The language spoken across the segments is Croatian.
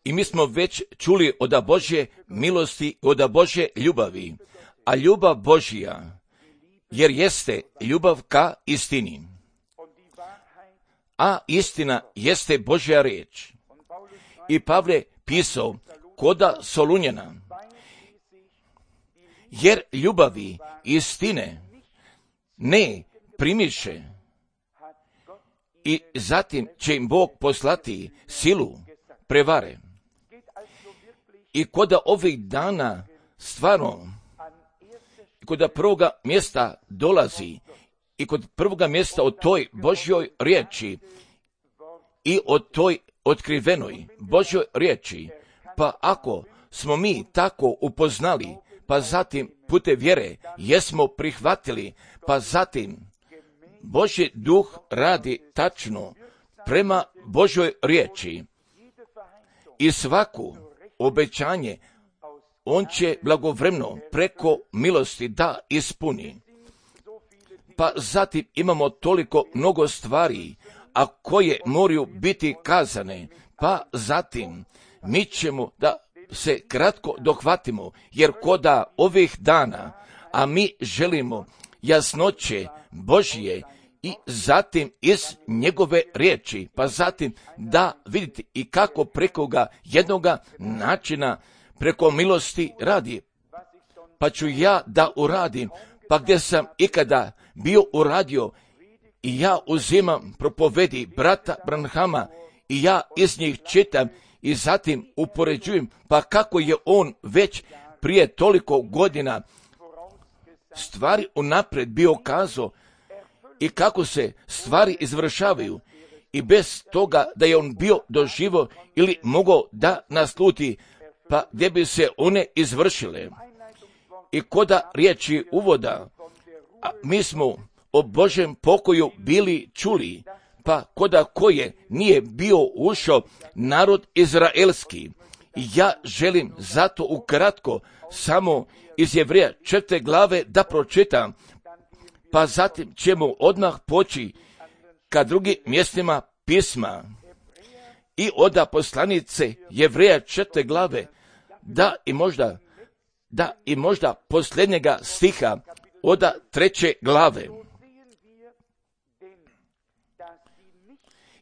I mi smo već čuli od Božje milosti, od Božje ljubavi, a ljubav Božja, jer jeste ljubav ka istini, a istina jeste Božja riječ. I Pavle pisao koda Solunjana, jer ljubavi istine ne primiše, i zatim će im Bog poslati silu prevare. I koda ovih dana stvarno, koda prvoga mjesta dolazi, i kod prvoga mjesta o toj Božjoj riječi i o toj otkrivenoj Božjoj riječi, pa ako smo mi tako upoznali, pa zatim putem vjere jesmo prihvatili, pa zatim Božji duh radi tačno prema Božjoj riječi i svaku obećanje on će blagovremeno preko milosti da ispuni. Pa zatim imamo toliko mnogo stvari, a koje moraju biti kazane, pa zatim mi ćemo da se kratko dohvatimo, jer koda ovih dana, a mi želimo jasnoće Božje i zatim iz njegove riječi, pa zatim da vidite i kako preko jednoga načina, preko milosti radi. Pa ću ja da uradim, pa gdje sam ikada bio uradio, i ja uzimam propovedi brata Branhama i ja iz njih čitam i zatim upoređujem, pa kako je on već prije toliko godina stvari unaprijed bio kazao i kako se stvari izvršavaju, i bez toga da je on bio doživo ili mogao da nasluti, pa gdje bi se one izvršile. I koda riječi uvoda, a mi smo o Božjem pokoju bili čuli, pa koda koje nije bio ušao narod izraelski. I ja želim zato ukratko samo iz Jevreja 4. glave da pročitam, pa zatim ćemo odmah poći ka drugim mjestima pisma. I od poslanice Jevreja 4. glave, da i možda posljednjega stiha od 3. glave.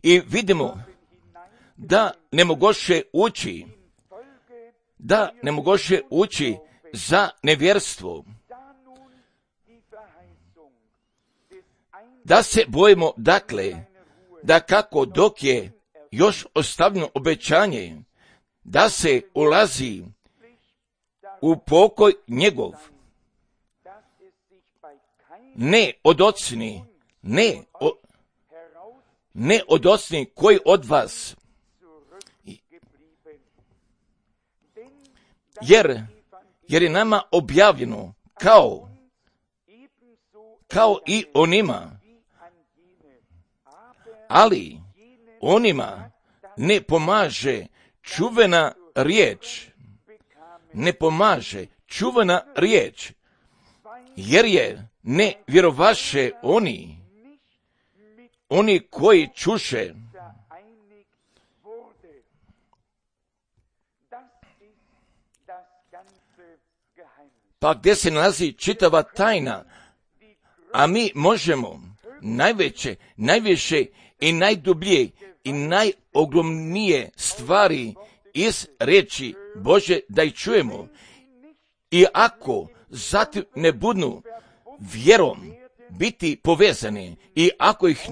I vidimo da ne mogoše ući za nevjerstvo. Da se bojimo, dakle, da kako dok je još ostavljeno obećanje, da se ulazi u pokoj njegov, ne od ocni, ne od ocni koji od vas, jer je nama objavljeno kao i onima, ali onima ne pomaže čuvena riječ, jer je ne vjerovaše oni koji čuše. Pa gdje se nalazi čitava tajna, a mi možemo najviše i najdublje i najogromnije stvari iz riječi Bože da ih čujemo. I ako zatim ne budu vjerom biti povezani, i ako ih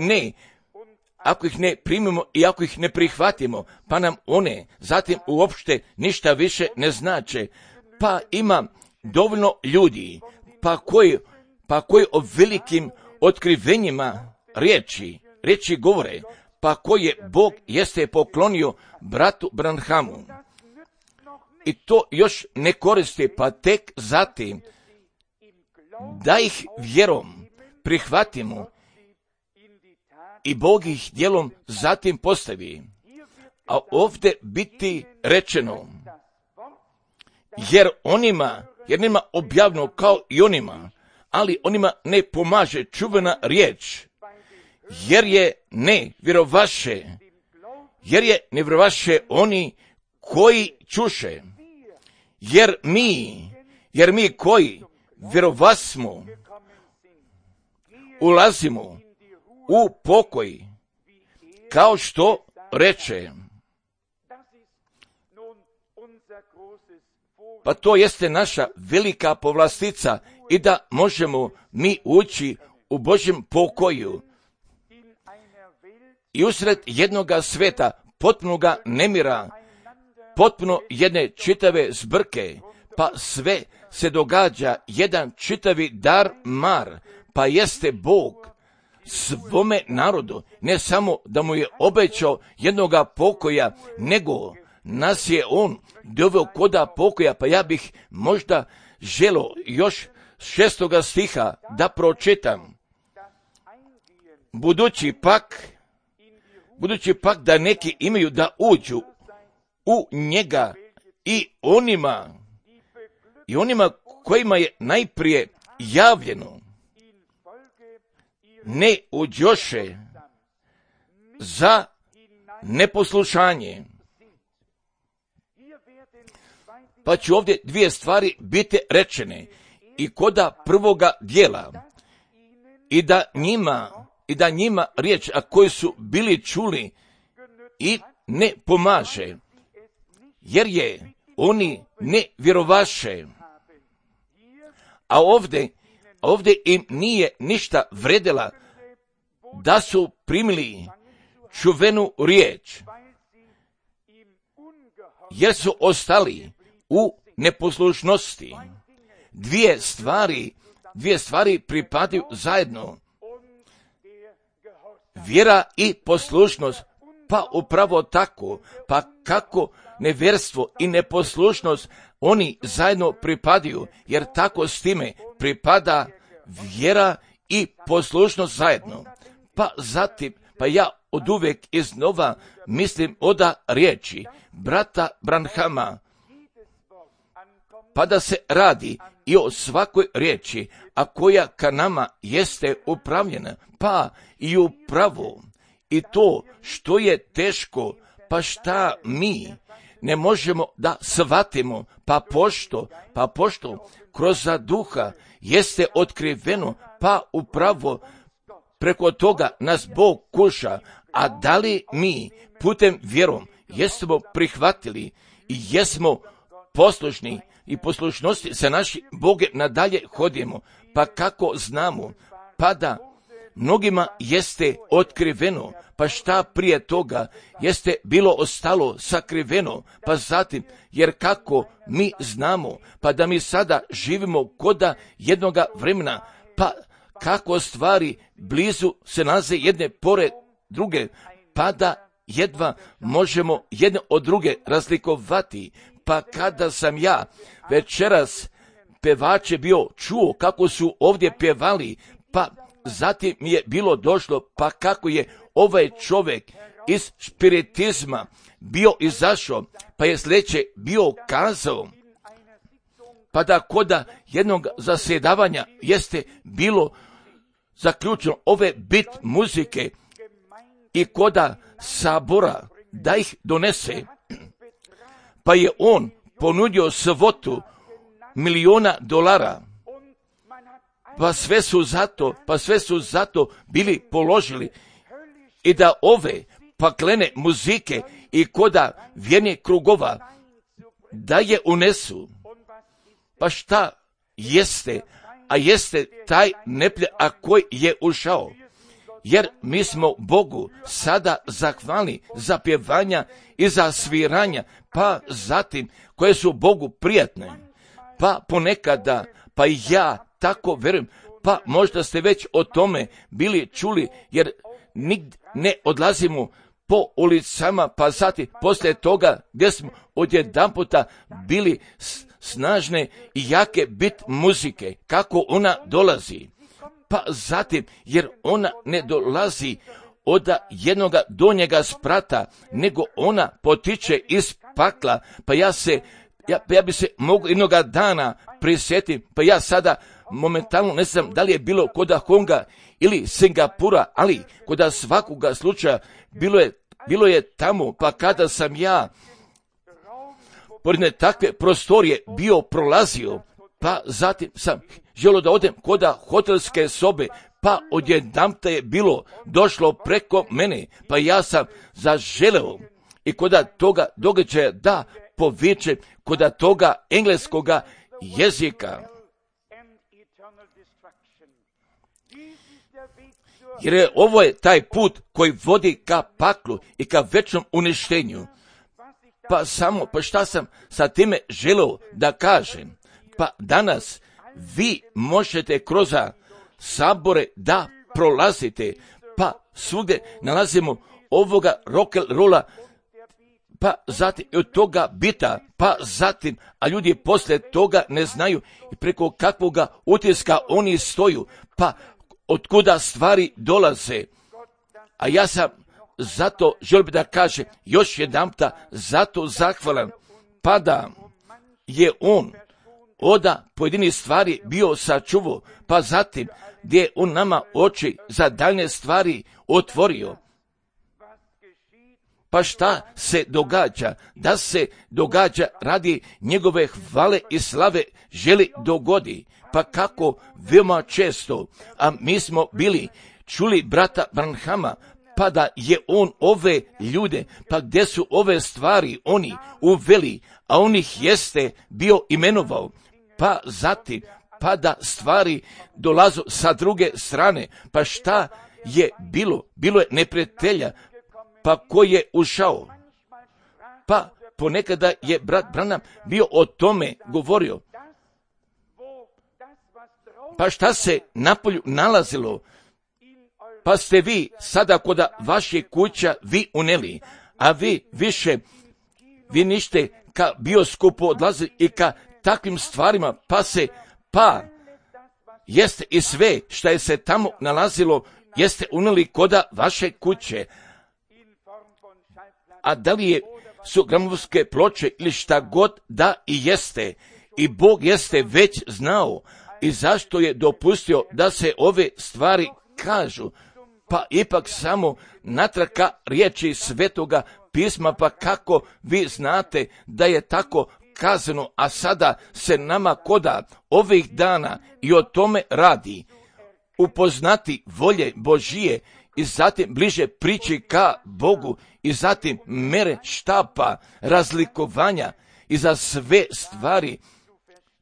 ne primimo i ako ih ne prihvatimo, pa nam one zatim uopšte ništa više ne znače. Pa ima dovoljno ljudi, pa koji o velikim otkrivenjima riječi govore, pa koje Bog jeste poklonio bratu Branhamu. I to još ne koristi, pa tek zatim da ih vjerom prihvatimo i Bog ih djelom zatim postavi. A ovdje biti rečeno, jer njima objavljeno kao i onima, ali onima ne pomaže čuvena riječ, jer je ne vjerovaše jer je ne vjerovaše oni koji čuše, jer mi koji vjerovasmo ulazimo u pokoj, kao što reče. Pa to jeste naša velika povlastica i da možemo mi ući u Božjem pokoju i usred jednoga sveta, potpunoga nemira, potpuno jedne čitave zbrke, pa sve se događa jedan čitavi dar mar, pa jeste Bog svome narodu, ne samo da mu je obećao jednoga pokoja, nego nas je on doveo koda pokoja, pa ja bih možda želio još 6. stiha da pročitam. Budući pak da neki imaju da uđu u njega i onima kojima je najprije javljeno, ne uđoše za neposlušanje. Pa će ovdje 2 stvari biti rečene i koda prvoga dijela i da njima riječ, a koji su bili čuli i ne pomaže, jer je oni ne vjerovaše. A ovdje im nije ništa vredela da su primili čuvenu riječ, jer su ostali u neposlušnosti. 2 stvari pripadaju zajedno. Vjera i poslušnost, pa upravo tako, pa kako nevjerstvo i neposlušnost, oni zajedno pripadaju, jer tako s time pripada vjera i poslušnost zajedno. Pa zatim, pa ja oduvijek iznova mislim oda riječi brata Branhama, pa da se radi i o svakoj riječi, a koja ka nama jeste upravljena, pa i upravo. I to što je teško, pa šta mi ne možemo da shvatimo, pa pošto kroz duha jeste otkriveno, pa upravo preko toga nas Bog kuša, a da li mi putem vjerom jesmo prihvatili i jesmo poslušni i poslušnosti sa našim Boge nadalje hodimo, pa kako znamo, pa da mnogima jeste otkriveno, pa šta prije toga jeste bilo ostalo sakriveno, pa zatim, jer kako mi znamo, pa da mi sada živimo koda jednoga vremena, pa kako stvari blizu se nalaze jedne pored druge, pa da jedva možemo jedne od druge razlikovati. Pa kada sam ja večeras pevače bio čuo kako su ovdje pjevali, pa zatim mi je bilo došlo, pa kako je ovaj čovjek iz spiritizma bio izašao, pa je sljedeće bio kazao, pa da koda jednog zasjedavanja jeste bilo zaključeno ove bit muzike i koda sabora da ih donese, pa je on ponudio svotu $1.000.000, pa sve su zato bili položili i da ove paklene muzike i koda vjernih krugova da je unesu. Pa šta jeste, a jeste taj neprijatelj, a koji je ušao, jer mi smo Bogu sada zahvalni za pjevanja i za sviranja, pa zatim koje su Bogu prijatne, pa ponekada, pa ja tako vjerujem, pa možda ste već o tome bili čuli, jer nigdje ne odlazimo po ulicama, pa zatim poslije toga gdje smo odjedanputa bili snažne i jake bit muzike, kako ona dolazi. Pa zatim, jer ona ne dolazi od jednoga donjega sprata, nego ona potiče iz pakla, pa ja bi se mogu jednoga dana prisjetiti, pa ja sada momentalno ne znam da li je bilo koda Honga ili Singapura, ali koda svakoga slučaja bilo je bilo je tamo, pa kada sam ja pored takve prostorije bio prolazio, pa zatim sam želio da odem kod hotelske sobe, pa odjedanput je bilo došlo preko mene, pa ja sam zaželeo i kod toga događaja da povičem kod toga engleskoga jezika. Jer ovo je taj put koji vodi ka paklu i ka večnom uništenju. Pa šta sam sa time želeo da kažem? Pa danas vi možete kroz sabore da prolazite, pa svugdje nalazimo ovoga rock'n'rolla, pa zatim od toga bita, pa zatim, a ljudi poslije toga ne znaju i preko kakvoga utiska oni stoju, pa otkuda stvari dolaze. A ja sam zato želio da kažem još jedanputa zato zahvalan, pa da je on od pojedinih stvari bio sačuvao, pa zatim gdje je on nama oči za daljne stvari otvorio. Pa šta se događa? Da se događa radi njegove hvale i slave želi dogodi. Pa kako veoma često, a mi smo bili čuli brata Branhama, pa da je on ove ljude, pa gdje su ove stvari oni uveli, a on ih jeste bio imenovao, pa zatim, pa da stvari dolazu sa druge strane, pa šta je bilo? Bilo je neprijatelja, pa ko je ušao? Pa ponekada je brat Branham bio o tome govorio. Pa šta se napolju nalazilo? Pa ste vi sada kod vaših kuća vi uneli, a vi više, vi nište ka bioskopu odlazi i ka takvim stvarima, pa jeste i sve što je se tamo nalazilo, jeste uneli kod vaše kuće. A da li su gramofonske ploče ili šta god da i jeste, i Bog jeste već znao i zašto je dopustio da se ove stvari kažu, pa ipak samo natraka riječi Svetoga pisma, pa kako vi znate da je tako kazano, a sada se nama koda ovih dana i o tome radi, upoznati volje Božije i zatim bliže prići ka Bogu i zatim mere štapa, razlikovanja i za sve stvari,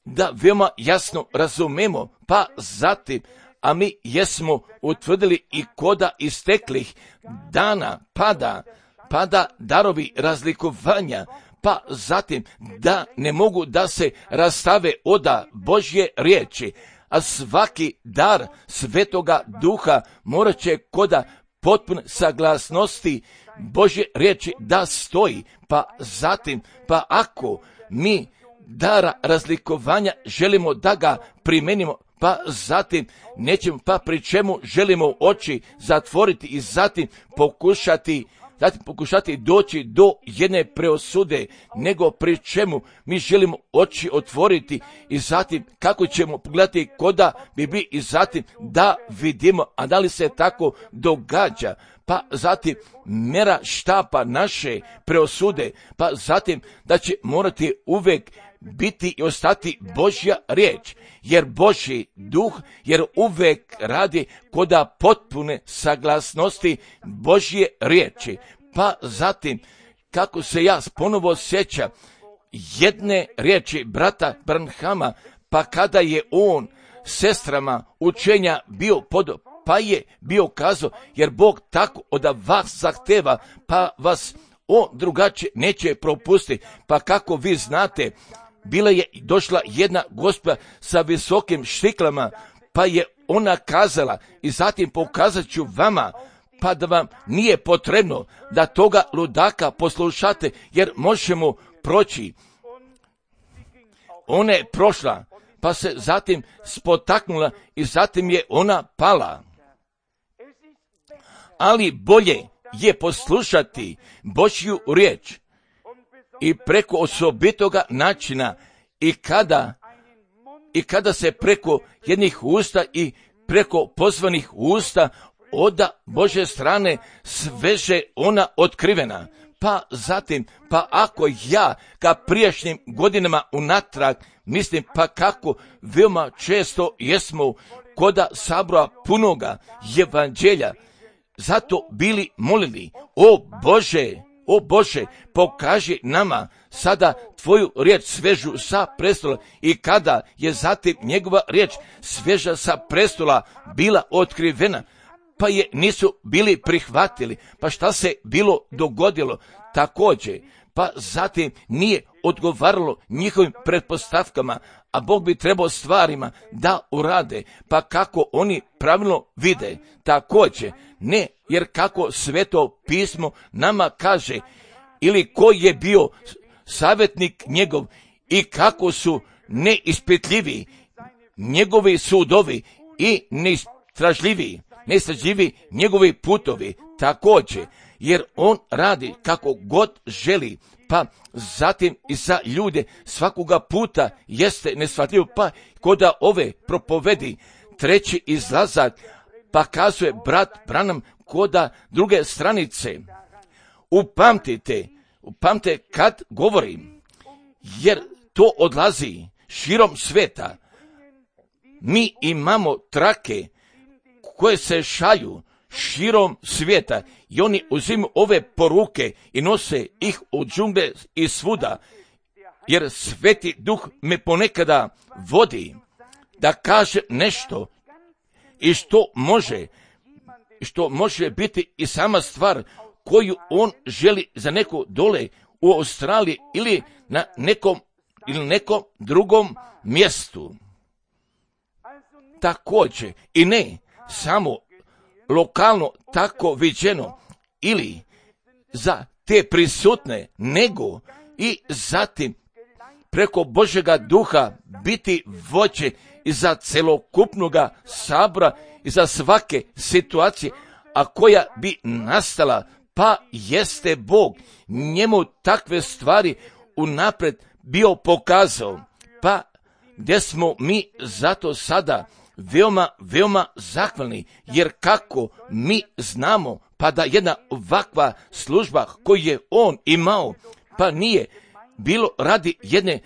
da veoma jasno razumemo, pa zatim, a mi jesmo utvrdili i koda isteklih dana pada darovi razlikovanja, pa zatim da ne mogu da se rastave od Božje riječi, a svaki dar Svetoga Duha morat će koda potpune saglasnosti Božje riječi da stoji, pa zatim, pa ako mi dara razlikovanja želimo da ga primenimo, pa zatim nećemo, pa pri čemu želimo oči zatvoriti i zatim pokušati doći do jedne preosude, nego pri čemu mi želimo oči otvoriti i zatim kako ćemo pogledati koda bi i zatim da vidimo, a da li se tako događa, pa zatim mera štapa naše preosude, pa zatim da će morati uvek biti i ostati Božja riječ, jer Božji duh, jer uvek radi koda potpune saglasnosti Božje riječi. Pa zatim, kako se ja ponovo sjećam jedne riječi brata Branhama, pa kada je on sestrama učenja bio pa je bio kazao, jer Bog tako od vas zahteva, pa vas on drugačije neće propustiti. Pa kako vi znate, bila je došla jedna gospođa sa visokim štiklama, pa je ona kazala, i zatim pokazat ću vama, pa da vam nije potrebno da toga ludaka poslušate, jer možemo proći. Ona je prošla, pa se zatim spotaknula i zatim je ona pala. Ali bolje je poslušati Božju riječ i preko osobitoga načina i kada se preko jednih usta i preko pozvanih usta od Božje strane sveže ona otkrivena. Pa zatim, pa ako ja ka prijašnjim godinama unatrag mislim, pa kako veoma često jesmo koda sabora punoga evanđelja, zato bili molili, o Bože, pokaži nama sada tvoju riječ svežu sa prestola. I kada je zatim njegova riječ sveža sa prestola bila otkrivena, pa je nisu bili prihvatili. Pa šta se bilo dogodilo? Također, pa zatim nije odgovaralo njihovim pretpostavkama, a Bog bi trebao stvarima da urade, pa kako oni pravilno vide. Također, ne, jer kako Sveto pismo nama kaže, ili ko je bio savjetnik njegov i kako su neispitljivi njegovi sudovi i neistražljivi njegovi putovi. Također, jer on radi kako god želi, pa zatim i za ljude svakoga puta jeste neshvatljivo, pa koda ove propovedi treći izlazak, pa kazuje brat Branham koda druge stranice. Upamtite kad govorim, jer to odlazi širom sveta. Mi imamo trake koje se šalju širom svijeta i oni uzimaju ove poruke i nose ih u džungle i svuda, jer Sveti Duh me ponekada vodi da kaže nešto i što može biti i sama stvar koju on želi za neko dole u Australiji ili na nekom drugom mjestu. Također i ne samo lokalno tako viđeno ili za te prisutne, nego i zatim preko Božjega duha biti vođe i za celokupnoga sabora i za svake situacije, a koja bi nastala, pa jeste Bog njemu takve stvari unaprijed bio pokazao, pa gdje smo mi zato sada veoma zahvalni, jer kako mi znamo, pa da jedna ovakva služba koju je on imao, pa nije bilo radi jedne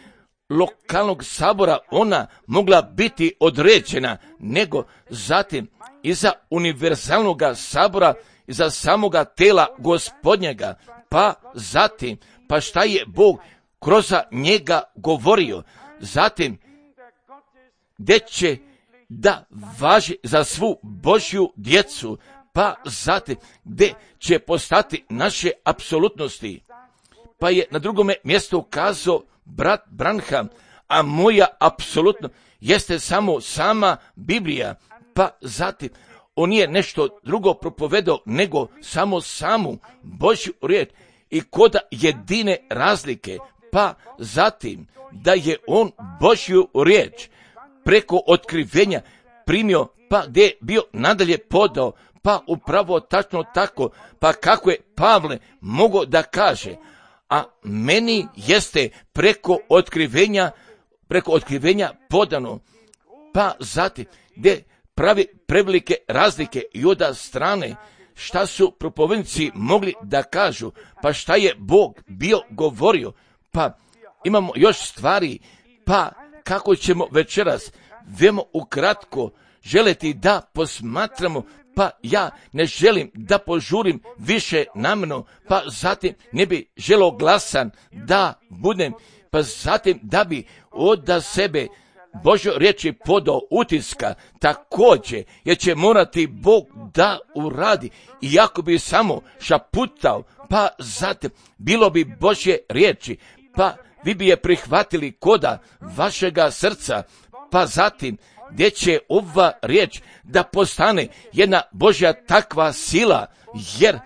lokalnog sabora ona mogla biti određena, nego zatim iza univerzalnog sabora, iza samoga tela Gospodnjega, pa zatim, pa šta je Bog kroz njega govorio, zatim gdje će da važi za svu Božju djecu, pa zatim gdje će postati naše apsolutnosti. Pa je na drugome mjestu kazao brat Branham, a moja apsolutno jeste samo sama Biblija, pa zatim on nije nešto drugo propovedao nego samo samu Božju riječ i kod jedine razlike, pa zatim da je on Božju riječ preko otkrivenja primio, pa gdje je bio nadalje podao, pa upravo tačno tako, pa kako je Pavle mogao da kaže, a meni jeste preko otkrivenja podano, pa zatim gdje pravi prevelike razlike i od strane šta su propovednici mogli da kažu, pa šta je Bog bio govorio, pa imamo još stvari, pa kako ćemo večeras veoma ukratko želeti da posmatramo, pa ja ne želim da požurim više namjerno, pa zatim ne bi želio glasan da budem, pa zatim da bi od sebe Božjo riječi podao utiska, također jer će morati Bog da uradi, iako bi samo šaputao, pa zatim bilo bi Božje riječi, pa vi bi je prihvatili koda vašega srca, pa zatim gdje će ova riječ da postane jedna Božja takva sila, jer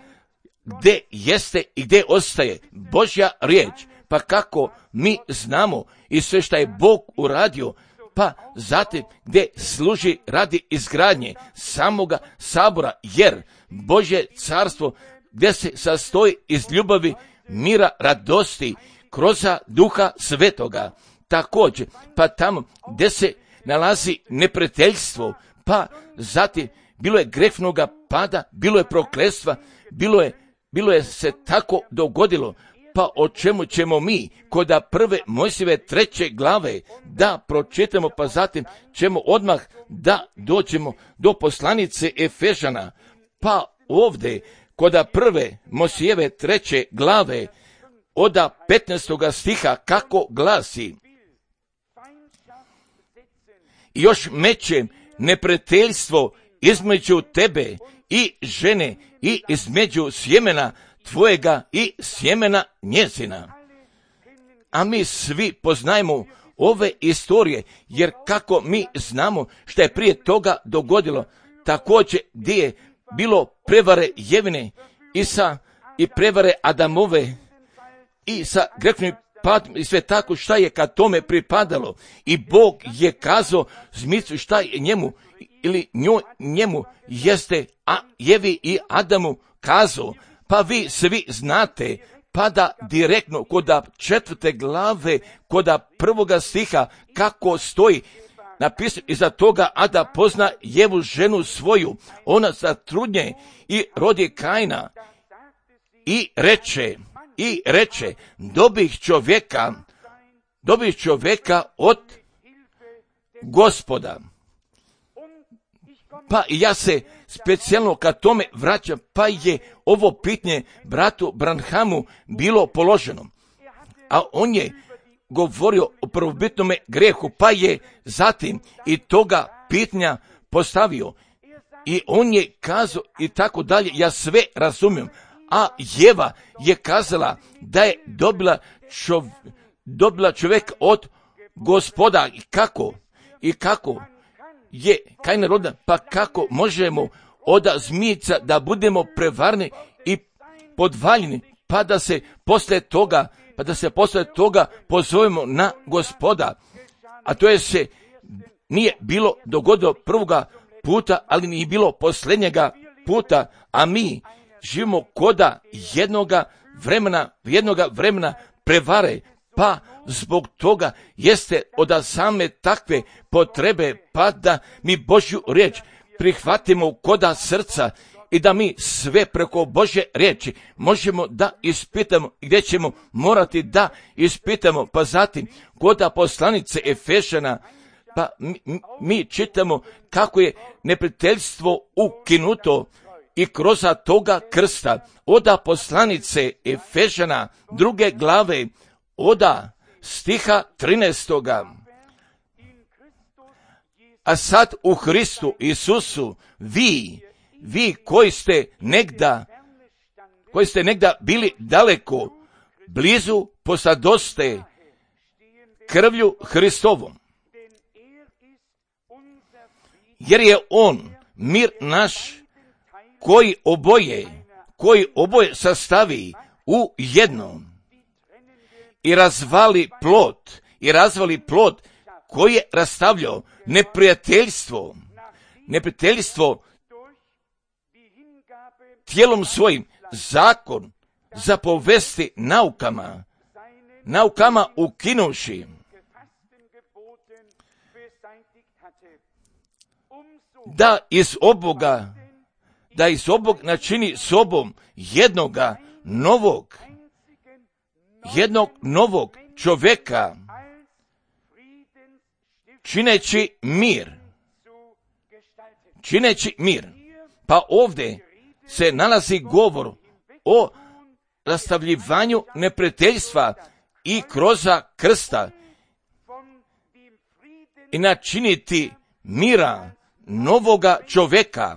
gdje jeste i gdje ostaje Božja riječ, pa kako mi znamo i sve što je Bog uradio, pa zatim gdje služi radi izgradnje samoga sabora, jer Božje carstvo gdje se sastoji iz ljubavi, mira, radosti, kroz Duha Svetoga. Također, pa tamo gdje se nalazi neprijateljstvo, pa zatim bilo je grehnoga pada, bilo je prokletstva, bilo je se tako dogodilo. Pa o čemu ćemo mi kod prve Mojsijeve 3. glave da pročitamo, pa zatim ćemo odmah da dođemo do poslanice Efežana. Pa ovdje kod prve Mojsijeve 3. glave od 15. stiha kako glasi: još mećem neprijateljstvo između tebe i žene i između sjemena tvojega i sjemena njezina. A mi svi poznajemo ove istorije, jer kako mi znamo što je prije toga dogodilo, također gdje je bilo prevare Jevine i prevare Adamove i sa grešnim padom i sve tako šta je ka tome pripadalo. I Bog je kazao zmicu šta je njemu ili njemu jeste, a Jevi i Adamu kazao. Pa vi svi znate, pada direktno kod 4. glave, kod 1. stiha, kako stoji napisano iza toga, a da pozna Jevu ženu svoju, ona zatrudnje i rodi Kaina i reče, dobih čovjeka od Gospoda. Pa ja se specijalno ka tome vraćam, pa je ovo pitanje bratu Branhamu bilo položeno. A on je govorio o prvobitnome grehu, pa je zatim i toga pitanja postavio. I on je kazao i tako dalje, ja sve razumijem. A Jeva je kazala da je dobila čovjek od Gospoda. I kako je Kain roda, pa kako možemo od zmijica da budemo prevarni i podvaljeni, pa da se poslije toga pozovemo na Gospoda. A to je se nije bilo dogodilo prvoga puta, ali nije bilo posljednjega puta, a mi živimo koda jednoga vremena prevare, pa zbog toga jeste od same takve potrebe, pa da mi Božju riječ prihvatimo koda srca i da mi sve preko Božje riječi možemo da ispitamo, gdje ćemo morati da ispitamo. Pa zatim koda poslanice Efežana, pa mi čitamo kako je neprijateljstvo ukinuto i kroz toga krsta. Oda poslanice Efežana 2. glave oda stiha 13. A sad u Hristu Isusu vi koji ste negda bili daleko, blizu posadoste krvlju Hristovom. Jer je on mir naš koji oboje sastavi u jednom i razvali plod koji je rastavljao neprijateljstvo tijelom svojim, zakon za povesti naukama ukinuši, da iz oboga načini sobom jednog novog čovjeka, čineći mir. Pa ovdje se nalazi govor o rastavljivanju neprijateljstva i kroz krsta i načiniti mira novoga čovjeka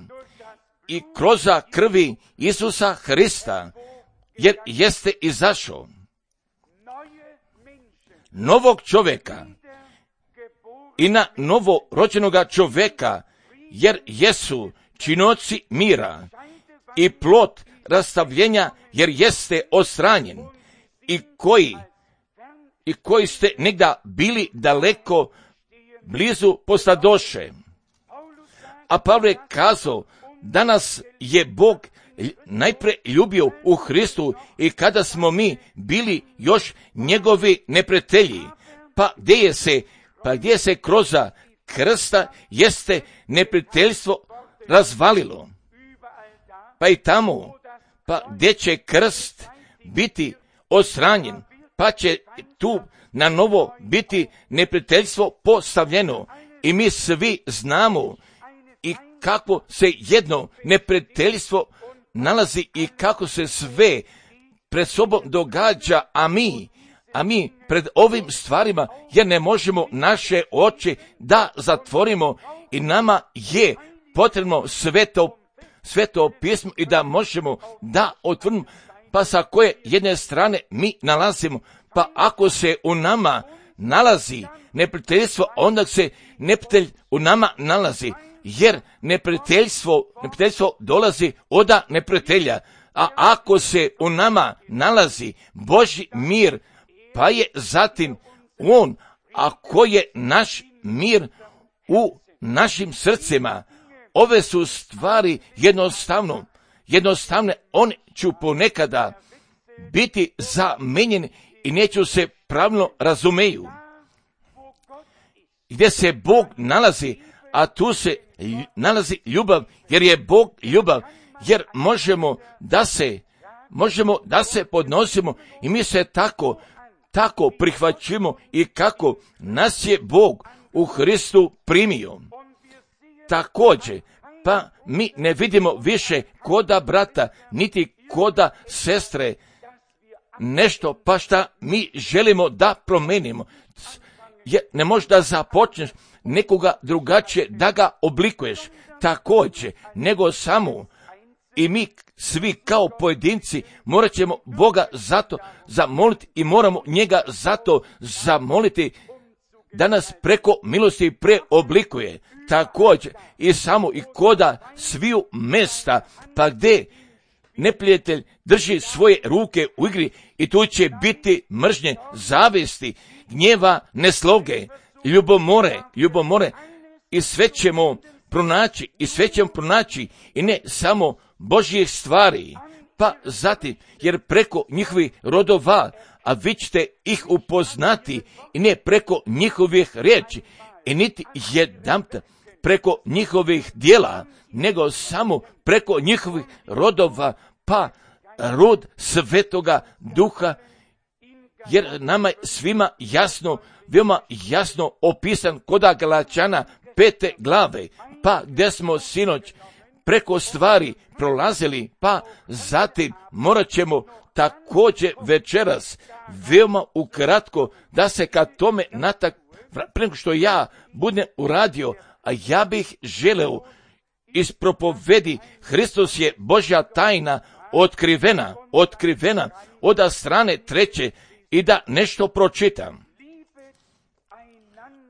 i kroz krvi Isusa Hrista, jer jeste izašao novog čovjeka i na novo rođenoga čovjeka, jer jesu činoci mira i plod rastavljenja, jer jeste odstranjen i koji ste negda bili daleko, blizu postadoše. A Pavle je kazao, danas je Bog najprije ljubio u Hristu i kada smo mi bili još njegovi neprijatelji, pa gdje se kroz krsta jeste neprijateljstvo razvalilo. pa i tamo, pa gdje će krst biti odstranjen, pa će tu na novo biti neprijateljstvo postavljeno. I mi svi znamo i kako se jedno neprijateljstvo nalazi i kako se sve pred sobom događa, a mi pred ovim stvarima jer ne možemo naše oči da zatvorimo i nama je potrebno sveto pismo i da možemo da otvorimo, pa sa koje jedne strane mi nalazimo, pa ako se u nama nalazi neprijateljstvo, onda se neprijatelj u nama nalazi, jer neprijateljstvo dolazi od neprijatelja, a ako se u nama nalazi Božji mir, pa je zatim on, ako je naš mir u našim srcima, ove su stvari jednostavne, one ću ponekada biti zamenjeni i neću se pravilno razumeju. Gdje se Bog nalazi, a tu se nalazi ljubav, jer je Bog ljubav, jer možemo da se podnosimo i mi se tako prihvaćimo i kako nas je Bog u Hristu primio. Također, pa mi ne vidimo više koda brata, niti koda sestre, nešto pa šta mi želimo da promenimo. Ne možeš da započneš nekoga drugačije da ga oblikuješ također, nego samo i mi svi kao pojedinci morat ćemo Boga zato zamoliti i moramo njega zato zamoliti da nas preko milosti preoblikuje. Također i samo i koda sviju mesta, pa gdje neprijatelj drži svoje ruke u igri i tu će biti mržnje, zavisti, gnjeva, nesloge, ljubomore i sve ćemo pronaći i ne samo Božjih stvari, pa zatim, jer preko njihovih rodova, a vi ćete ih upoznati i ne preko njihovih riječi i niti jedanputa preko njihovih djela, nego samo preko njihovih rodova, pa rod Svetoga Duha, jer nama je svima jasno, veoma jasno opisan koda Galačana 5. glave, pa gdje smo sinoć preko stvari prolazili, pa zatim morat ćemo također večeras veoma ukratko da se ka tome prije što ja budem uradio, a ja bih želeo iz propovedi Hristos je Božja tajna otkrivena od strane 3. i da nešto pročitam.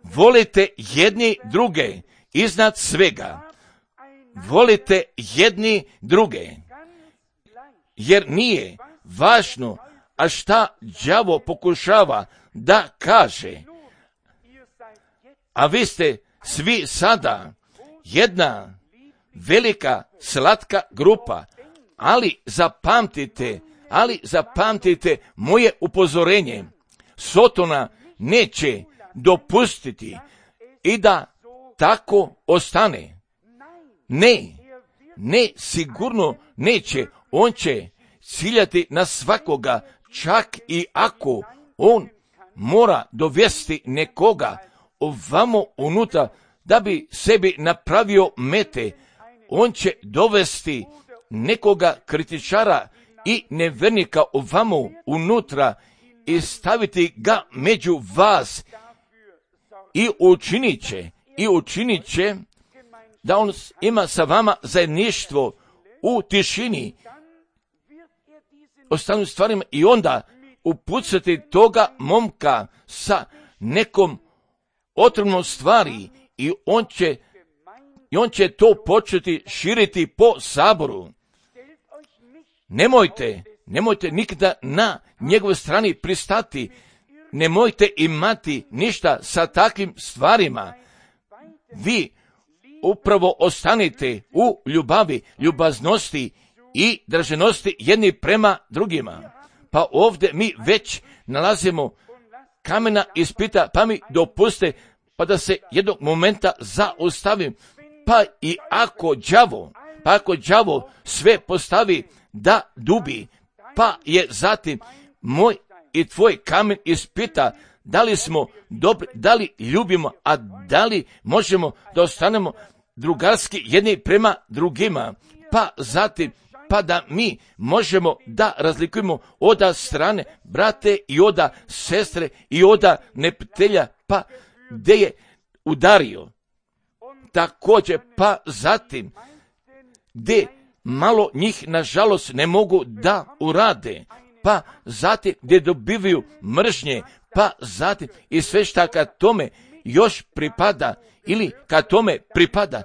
Volite jedni druge iznad svega. Volite jedni druge, jer nije važno, a šta đavo pokušava da kaže. A vi ste svi sada jedna velika slatka grupa, ali zapamtite moje upozorenje. Sotona neće dopustiti i da tako ostane. Ne, sigurno neće. On će ciljati na svakoga, čak i ako on mora dovesti nekoga ovamo unutra da bi sebi napravio mete. On će dovesti nekoga kritičara i nevernika ovamo unutra i staviti ga među vas i učinit će da on ima sa vama zajedništvo u tišini, ostalim stvarima i onda upucati toga momka sa nekom otrovnom stvari i on će to početi širiti po saboru. Nemojte nikada na njegovoj strani pristati, nemojte imati ništa sa takvim stvarima. Vi upravo ostanite u ljubavi, ljubaznosti i draženosti jedni prema drugima. Pa ovdje mi već nalazimo kamena ispita, pa mi dopuste pa da se jednog momenta zaustavim. Pa i ako đavo, pa ako đavo sve postavi da dubi, pa je zatim moj i tvoj kamen ispita da li smo dobri, da li ljubimo, a da li možemo da ostanemo drugarski jedni prema drugima, pa zatim pa da mi možemo da razlikujemo oda strane brate i oda sestre i oda neprijatelja, pa gde je udario. Također, pa zatim gde malo njih nažalost ne mogu da urade, pa zatim gdje dobivaju mržnje, pa zatim i sve šta kad tome još pripada ili kad tome pripada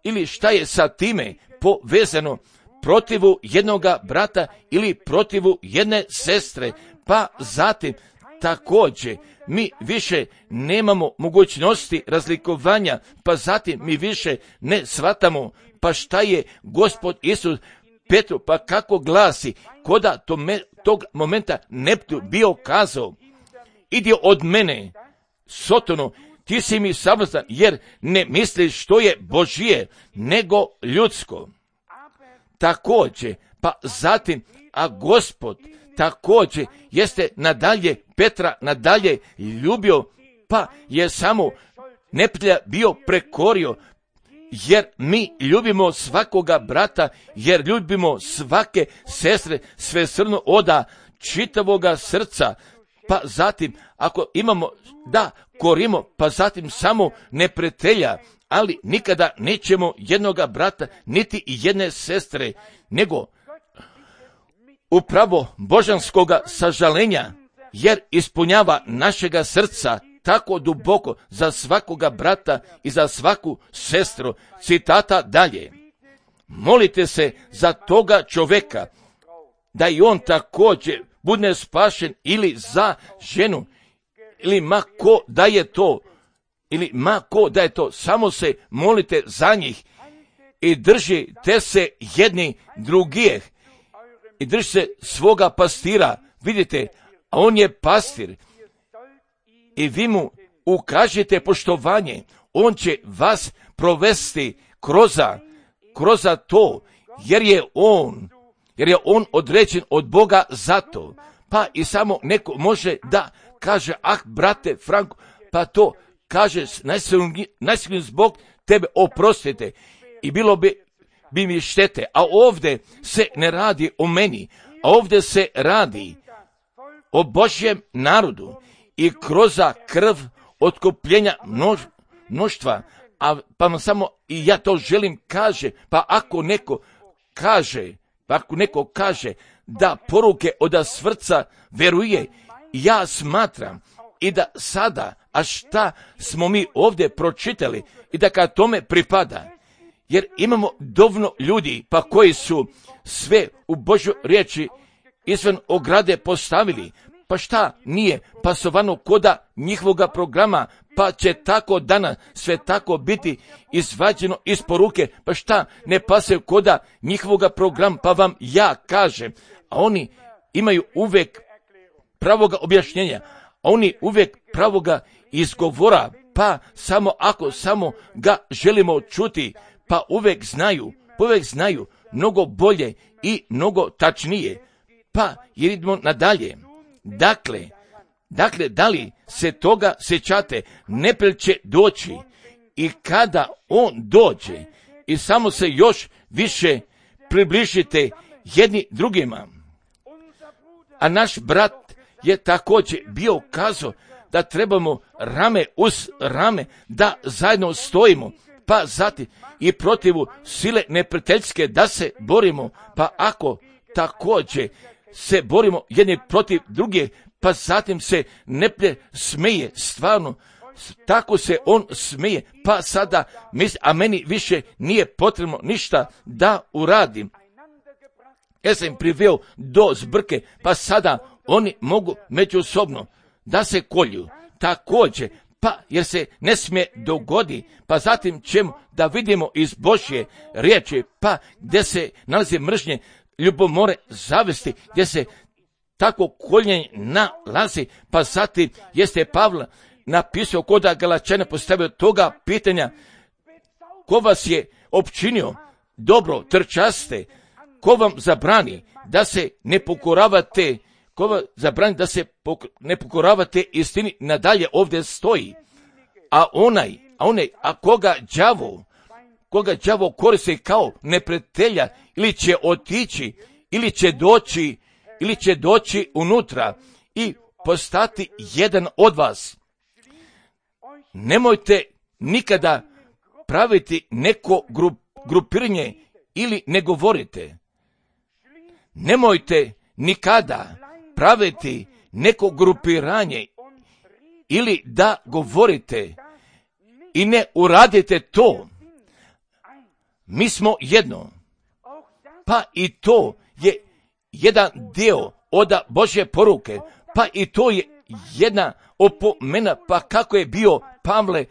ili šta je sa time povezano protivu jednoga brata ili protivu jedne sestre, pa zatim također mi više nemamo mogućnosti razlikovanja, pa zatim mi više ne shvatamo pa šta je Gospod Isus Petru, pa kako glasi, koda tog momenta Neptu bio kazao, idi od mene, Sotonu, ti si mi sablazan, jer ne misliš što je Božije, nego ljudsko. Također, pa zatim, a Gospod također jeste nadalje Petra nadalje ljubio, pa je samo neprijatelja bio prekorio, jer mi ljubimo svakoga brata, jer ljubimo svake sestre svesrdno oda čitavoga srca, pa zatim ako imamo da korimo, pa zatim samo neprijatelja, ali nikada nećemo jednoga brata, niti jedne sestre, nego upravo božanskoga sažalenja, jer ispunjava našega srca tako duboko za svakoga brata i za svaku sestru. Citata dalje. Molite se za toga čoveka, da i on također bude spašen, ili za ženu, ili ma ko da je to, samo se molite za njih i držite se jedni drugih i držite se svoga pastira. Vidite, a on je pastir i vi mu ukažete poštovanje, on će vas provesti kroz to, jer je on određen od Boga za to. Pa i samo neko može da kaže, brate Franko, pa to kaže najsigurniji zbog tebe oprostite i bilo bi mi štete. A ovdje se ne radi o meni, a ovdje se radi o Božjem narodu i kroz krv otkupljenja mnoštva. Pa samo i ja to želim kaže, pa ako neko kaže da poruke od srca veruje, ja smatram i da sada, a šta smo mi ovdje pročitali i da kad tome pripada, jer imamo dovoljno ljudi pa koji su sve u Božjoj riječi izvan ograde postavili, pa šta nije pasovano koda njihovoga programa, pa će tako danas sve tako biti izvađeno iz poruke, pa šta ne pasaju koda njihovoga programa, pa vam ja kažem, a oni imaju uvijek pravoga objašnjenja, a oni uvijek pravoga izgovora, pa samo ako samo ga želimo čuti, pa uvijek znaju mnogo bolje i mnogo tačnije. Pa jer idemo nadalje. Dakle, da li se toga sjećate, neprijatelj će doći i kada on dođe i samo se još više približite jedni drugima. A naš brat je također bio kazao da trebamo rame uz rame da zajedno stojimo, pa zatim i protivu sile neprijateljske da se borimo, pa ako također se borimo jedni protiv druge, pa zatim se neprijatelj smeje, stvarno, tako se on smeje, pa sada a meni više nije potrebno ništa da uradim. Ja sam im priveo do zbrke, pa sada oni mogu međusobno da se kolju. Također, pa jer se ne smije dogodi, pa zatim ćemo da vidimo iz Božje riječi, pa gdje se nalazi mržnje, ljubomore, zavesti, gdje se tako koljenje nalazi, pa zatim jeste Pavle napisao koda Galačana postavio toga pitanja, ko vas je opčinio dobro trčaste, ko vam zabrani da se ne pokoravate, ko vam zabrani da se ne pokoravate istini, nadalje ovdje stoji. A koga đavo koristi kao neprijatelja, ili će otići, ili će doći unutra i postati jedan od vas. Nemojte nikada praviti neko grupiranje ili ne govorite. Nemojte nikada praviti neko grupiranje ili da govorite i ne uradite to. Mi smo jedno. Pa i to je jedan dio od Božje poruke. Pa i to je jedna opomena. Pa kako je bio Pavle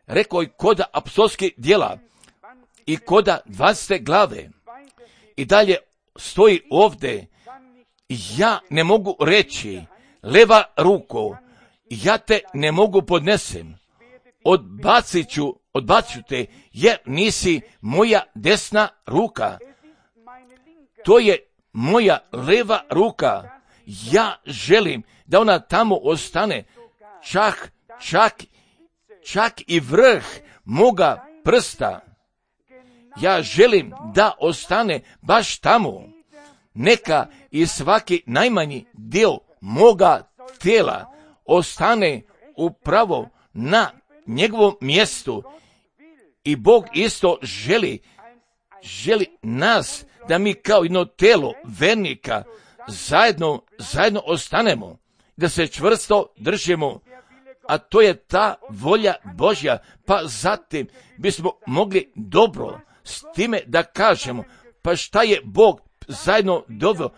rekao i kod apostolskih djela i kod 20. glave. I dalje stoji ovdje, ja ne mogu reći, leva ruko, ja te ne mogu podnesem, odbacit te, jer nisi moja desna ruka. To je moja leva ruka. Ja želim da ona tamo ostane, čak i vrh moga prsta. Ja želim da ostane baš tamo. Neka i svaki najmanji dio moga tijela ostane upravo na njegovom mjestu. I Bog isto želi nas da mi kao jedno tijelo vernika zajedno ostanemo, da se čvrsto držimo, a to je ta volja Božja. Pa zatim bismo mogli dobro s time da kažemo, pa šta je Bog zajedno doveo,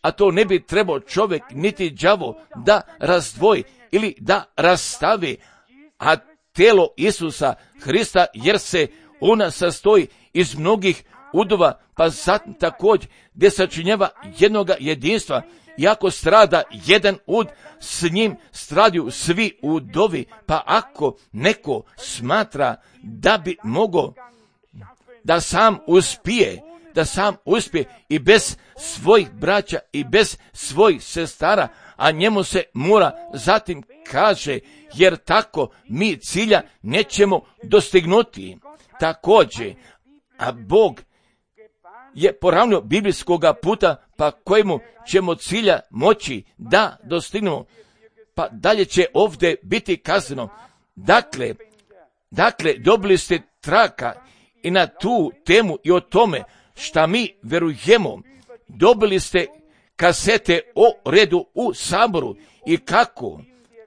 a to ne bi trebao čovjek niti đavo da razdvoji ili da rastavi, a tijelo Isusa Hrista, jer se ona sastoji iz mnogih udova, pa zatim također gdje sačinjava jednoga jedinstva. Iako strada jedan ud, s njim stradaju svi udovi. Pa ako neko smatra da bi mogao da sam uspije i bez svojih braća i bez svojih sestara, a njemu se mora zatim kaže, jer tako mi cilja nećemo dostignuti. Također, a Bog je poravnio biblijskoga puta, pa kojemu ćemo cilja moći da dostignemo. Pa dalje će ovdje biti kazano. Dakle, dobili ste traka i na tu temu i o tome šta mi verujemo. Dobili ste kasete o redu u saboru i kako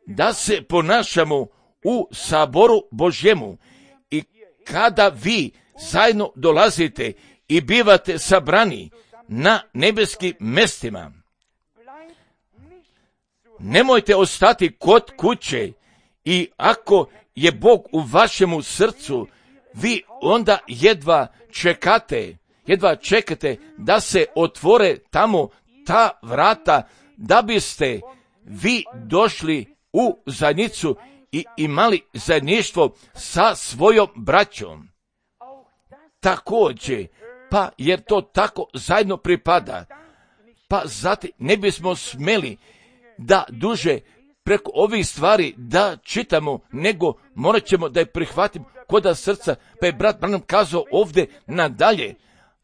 da se ponašamo u saboru Božjemu. I kada vi zajedno dolazite i bivate sabrani na nebeskim mjestima, nemojte ostati kod kuće, i ako je Bog u vašemu srcu, vi onda jedva čekate da se otvore tamo ta vrata, da biste vi došli u zajednicu i imali zajedništvo sa svojom braćom. Također, pa jer to tako zajedno pripada, pa zatim ne bismo smjeli da duže preko ovih stvari da čitamo, nego morat ćemo da je prihvatimo koda srca. Pa je brat Branham kazao ovdje nadalje,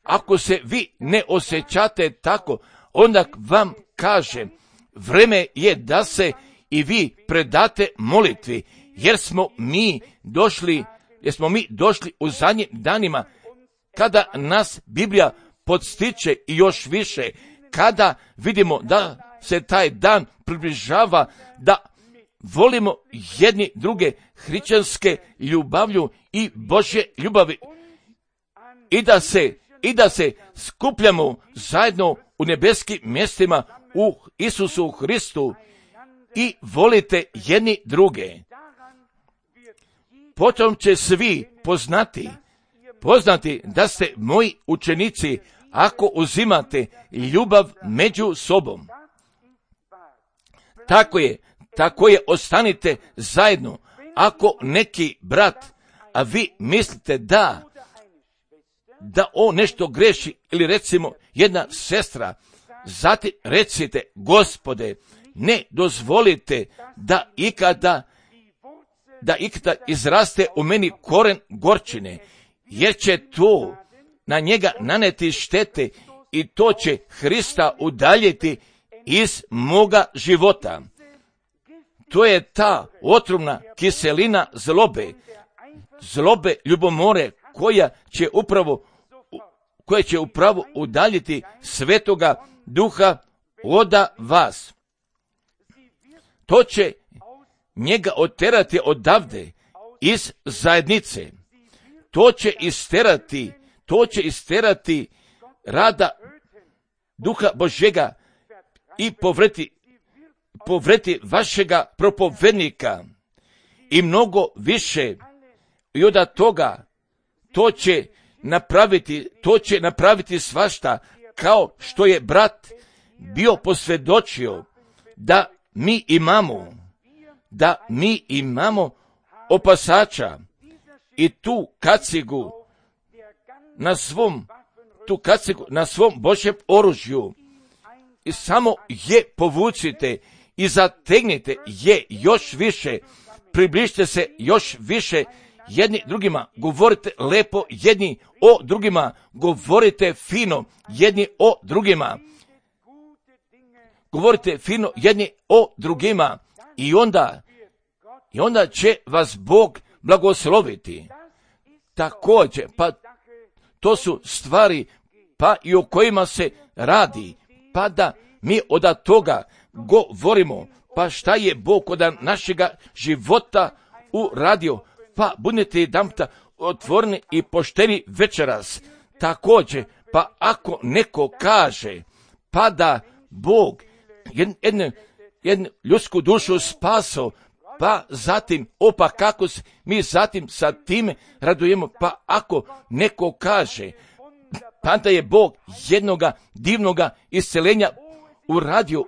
ako se vi ne osjećate tako, onda vam kažem, vreme je da se i vi predate molitvi, jer smo mi došli u zadnjim danima, kada nas Biblija podstiče i još više, kada vidimo da se taj dan približava, da volimo jedni druge hrišćanske ljubavlju i Božje ljubavi, i da se skupljamo zajedno u nebeskim mjestima u Isusu Hristu i volite jedni druge. Potom će svi poznati da ste moji učenici, ako uzimate ljubav među sobom. Tako je, ostanite zajedno. Ako neki brat, a vi mislite da on nešto greši, ili recimo jedna sestra, zatim recite, Gospode, ne dozvolite da ikada izraste u meni koren gorčine, jer će to na njega naneti štete i to će Hrista udaljiti iz moga života. To je ta otrovna kiselina zlobe ljubomore koja će upravo udaljiti Svetoga Duha od vas. To će njega oterati odavde iz zajednice. To će isterati rada Duha Božjega i povreti vašega propovednika i mnogo više. I od toga to će napraviti svašta, kao što je brat bio posvjedočio da mi imamo opasača i tu kacigu na svom Božjem oružju. I samo je povucite i zategnite je još više, približite se još više jedni drugima, govorite lepo jedni o drugima, govorite fino jedni o drugima, i onda će vas Bog blagosloviti. Također, pa to su stvari pa i o kojima se radi, pa da mi od toga govorimo, pa šta je Bog od našega života uradio, pa budete jedanputa otvoreni i pošteni večeras. Također, pa ako neko kaže, pa da Bog jednu ljudsku dušu spaso, pa zatim, kako mi zatim sa time radujemo, pa ako neko kaže, pa da je Bog jednoga divnoga isceljenja uradio,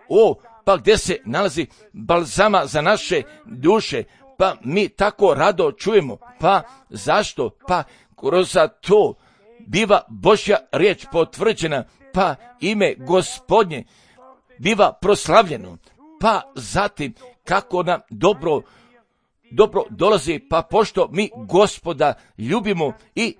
pa gdje se nalazi balzama za naše duše, pa mi tako rado čujemo, pa zašto? Pa kroz to biva Božja riječ potvrđena, pa ime Gospodnje biva proslavljeno, pa zatim kako nam dobro dolazi, pa pošto mi Gospoda ljubimo i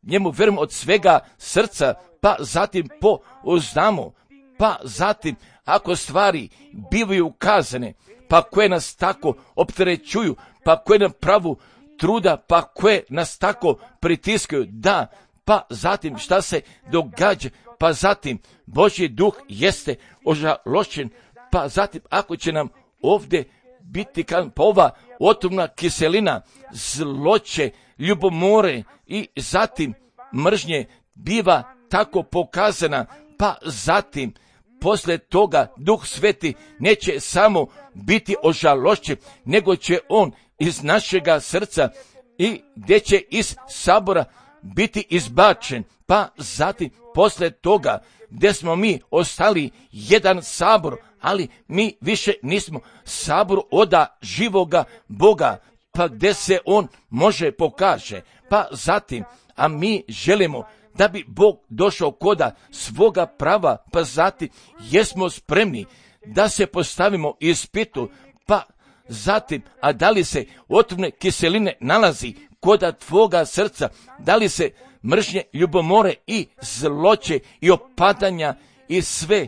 njemu vjerujemo od svega srca, pa zatim pouzdamo, pa zatim ako stvari bivaju ukazane, pa koje nas tako opterećuju, pa koje nam pravu truda, pa koje nas tako pritiskaju, da, pa zatim šta se događa, pa zatim Božji duh jeste ožalošćen, pa zatim ako će nam ovdje biti pa ova otrovna kiselina zloće, ljubomore i zatim mržnje biva tako pokazana, pa zatim poslije toga Duh Sveti neće samo biti ožalošćen, nego će on iz našega srca i gdje će iz sabora biti izbačen, pa zatim poslije toga gdje smo mi ostali jedan sabor, ali mi više nismo sabor oda živoga Boga, pa gdje se on može pokaže, pa zatim, a mi želimo da bi Bog došao koda svoga prava, pa zatim jesmo spremni da se postavimo ispitu, pa zatim, a da li se otrovne kiseline nalazi koda tvoga srca, da li se mržnje, ljubomore i zloće i opadanja i sve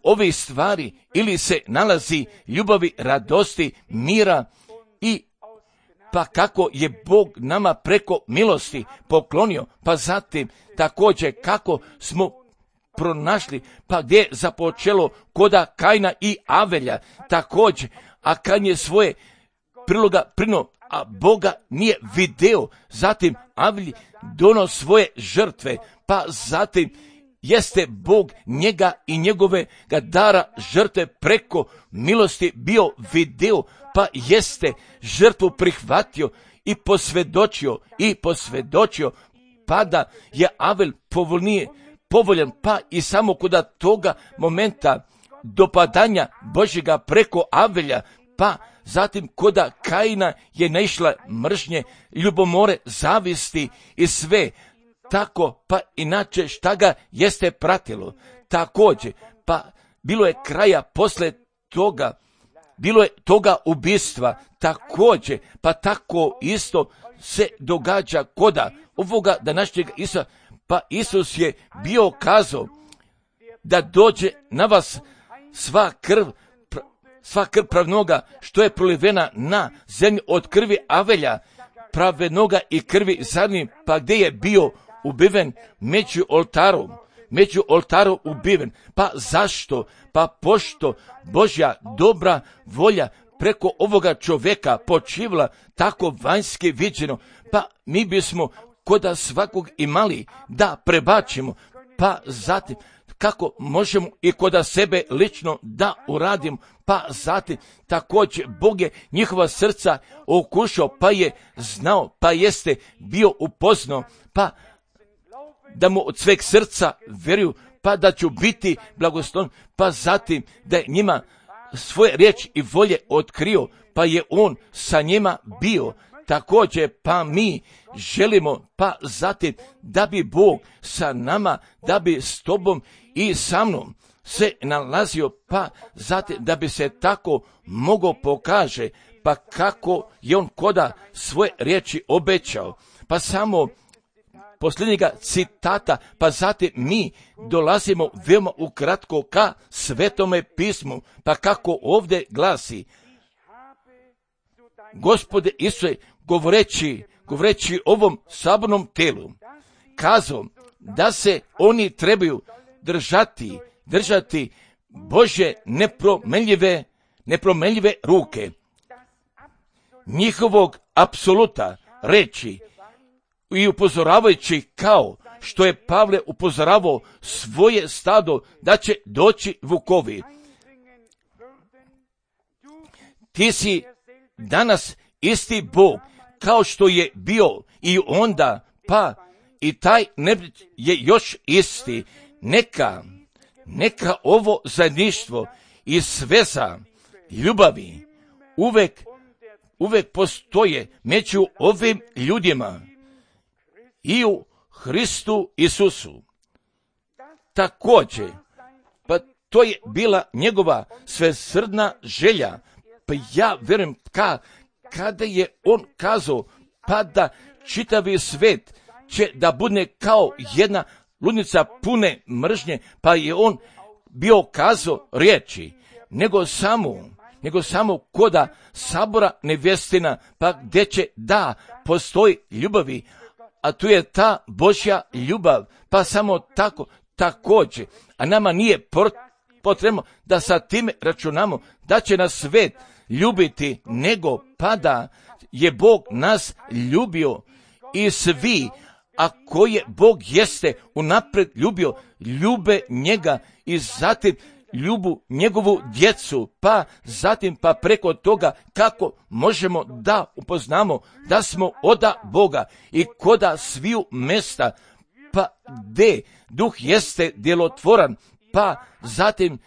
ove stvari, ili se nalazi ljubavi, radosti, mira i pa kako je Bog nama preko milosti poklonio, pa zatim također kako smo pronašli, pa gdje je započelo koda Kajna i Avelja, također, a Kajn je svoje priloga prino, a Boga nije video, zatim Avelj dono svoje žrtve, pa zatim jeste Bog njega i njegove dara žrtve preko milosti bio video, pa jeste žrtvu prihvatio i posvjedočio, pa da je Avel povoljan, pa i samo kod toga momenta dopadanja Božjega preko Avelja, pa zatim koda Kajna je naišla mržnje, ljubomore, zavisti i sve, tako, pa inače šta ga jeste pratilo. Također, pa bilo je kraja posle toga, bilo je toga ubistva, također, pa tako isto se događa koda ovoga današnjeg Isusa, pa Isus je bio kazao da dođe na vas sva krv pravnoga što je prolivena na zemlji od krvi Avelja, pravednoga i krvi zadnji, pa gdje je bio ubiven među oltarom ubiven. Pa zašto? Pa pošto Božja dobra volja preko ovoga čovjeka počivala tako vanjski viđeno, pa mi bismo koda svakog imali da prebačimo, pa zatim kako možemo i koda sebe lično da uradimo, pa zatim također Bog je njihova srca okušao, pa je znao, pa jeste bio upoznao, pa da mu od sveg srca vjeruju, pa da ću biti blagosloven, pa zatim da je njima svoje riječi i volje otkrio, pa je on sa njima bio. Također, pa mi želimo, pa zatim da bi Bog sa nama, da bi s tobom i sa mnom se nalazio, pa zatim da bi se tako mogao pokaže, pa kako je on koda svoje riječi obećao. Pa samo posljednjega citata, pa zatim mi dolazimo veoma ukratko ka Svetome pismu, pa kako ovdje glasi: Gospode Isuse, govoreći ovom sabornom telu, kazao da se oni trebaju držati Božje nepromjenjive ruke, njihovog apsoluta reći, i upozoravajući kao što je Pavle upozoravao svoje stado da će doći vukovi. Ti si danas isti Bog kao što je bio i onda, pa i taj neprijatelj je još isti. Neka ovo zajedništvo i sveza ljubavi uvek postoje među ovim ljudima i u Hristu Isusu. Također, pa to je bila njegova svesrdna želja, pa ja vjerujem kada je on kazao, pa da čitavi svet će da bude kao jedna ludnica pune mržnje, pa je on bio kazao riječi, nego samo koda sabora nevjestina, pa gdje će da postoji ljubavi, a tu je ta Božja ljubav, pa samo tako, također, a nama nije potrebno da sa time računamo da će nas svet ljubiti, nego pa da je Bog nas ljubio i svi, a koje Bog jeste unaprijed ljubio, ljube njega i zatim ljubu njegovu djecu, pa zatim pa preko toga kako možemo da upoznamo da smo oda Boga i koda sviju mesta, pa gdje duh jeste djelotvoran, pa zatim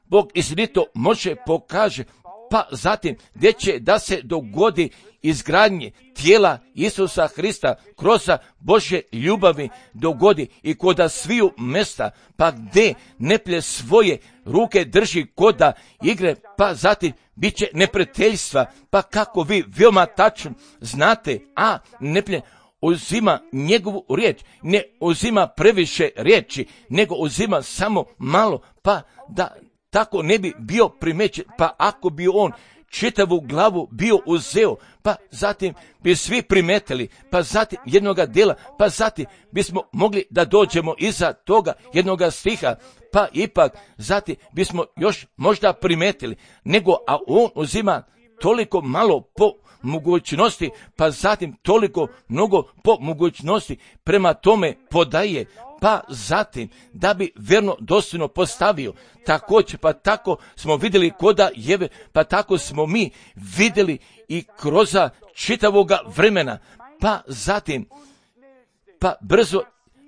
Bog istinito može pokaže, pa zatim gdje će da se dogodi izgradnje tijela Isusa Hrista kroz Božje ljubavi dogodi i koda sviju mesta, pa gdje neplje svoje ruke drži koda igre, pa zatim bit će neprijateljstva, pa kako vi veoma tačno znate, a neplje uzima njegovu riječ, ne uzima previše riječi, nego uzima samo malo, pa da tako ne bi bio primećen, pa ako bi on čitavu glavu bio uzeo, pa zatim bi svi primetili, pa zatim jednoga dela, pa zatim bismo mogli da dođemo iza toga jednoga stiha, pa ipak zatim bismo još možda primetili, nego a on uzima toliko malo po mogućnosti, pa zatim toliko mnogo po mogućnosti, prema tome podaje, pa zatim da bi verno dostojno postavio. Također, pa tako smo vidjeli koda Jeve, pa tako smo mi vidjeli i kroz čitavoga vremena, pa zatim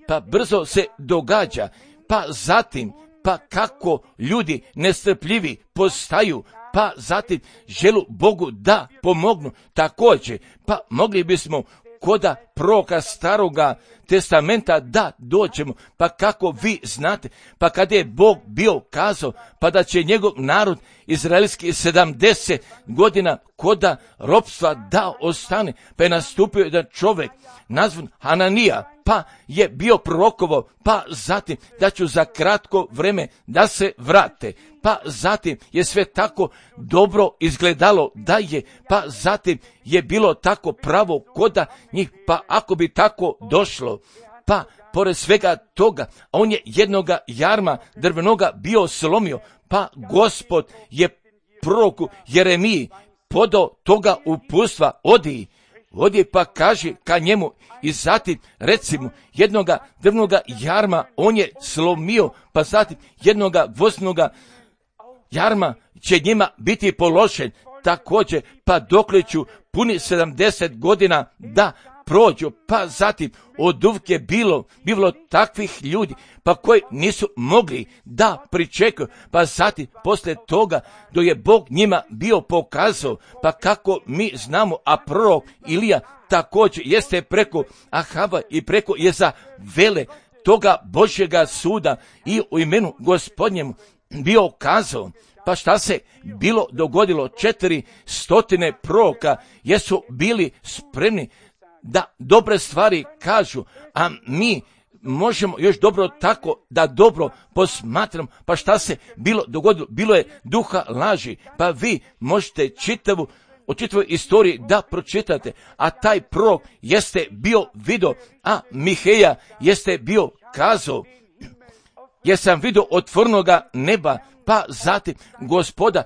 pa brzo se događa, pa zatim pa kako ljudi nestrpljivi postaju, pa zatim želu Bogu da pomognu. Također, pa mogli bismo koda proroka Staroga testamenta da dođemo. Pa kako vi znate, pa kada je Bog bio kazao, pa da će njegov narod izraelski 70 godina koda ropstva da ostane, pa je nastupio jedan čovjek nazvan Hananija, pa je bio prorokovo, pa zatim da ću za kratko vreme da se vrate, pa zatim je sve tako dobro izgledalo da je, pa zatim je bilo tako pravo koda njih, pa ako bi tako došlo, pa pored svega toga, on je jednoga jarma drvenoga bio slomio, pa Gospod je proroku Jeremiji podao toga uputstva, odi pa kaži ka njemu i zatim recimo jednoga drvnoga jarma on je slomio, pa zatim jednoga gvozdnoga jarma će njima biti položen također, pa dokle ću puni 70 godina da prođu, pa zatim od uvijek je bilo takvih ljudi, pa koji nisu mogli da pričekaju, pa zatim poslije toga do je Bog njima bio pokazao, pa kako mi znamo, a prorok Ilija također jeste preko Ahava i preko Jezavele toga Božjega suda i u imenu Gospodnjemu bio kazao. Pa šta se bilo dogodilo? 400 proroka jesu bili spremni da dobre stvari kažu, a mi možemo još dobro tako da dobro posmatram. Pa šta se bilo dogodilo? Bilo je duha laži, pa vi možete u čitavoj istoriji da pročitate, a taj prorok jeste bio vidio, a Miheja jeste bio kazao, jer sam vidio otvorenoga neba, pa zatim Gospoda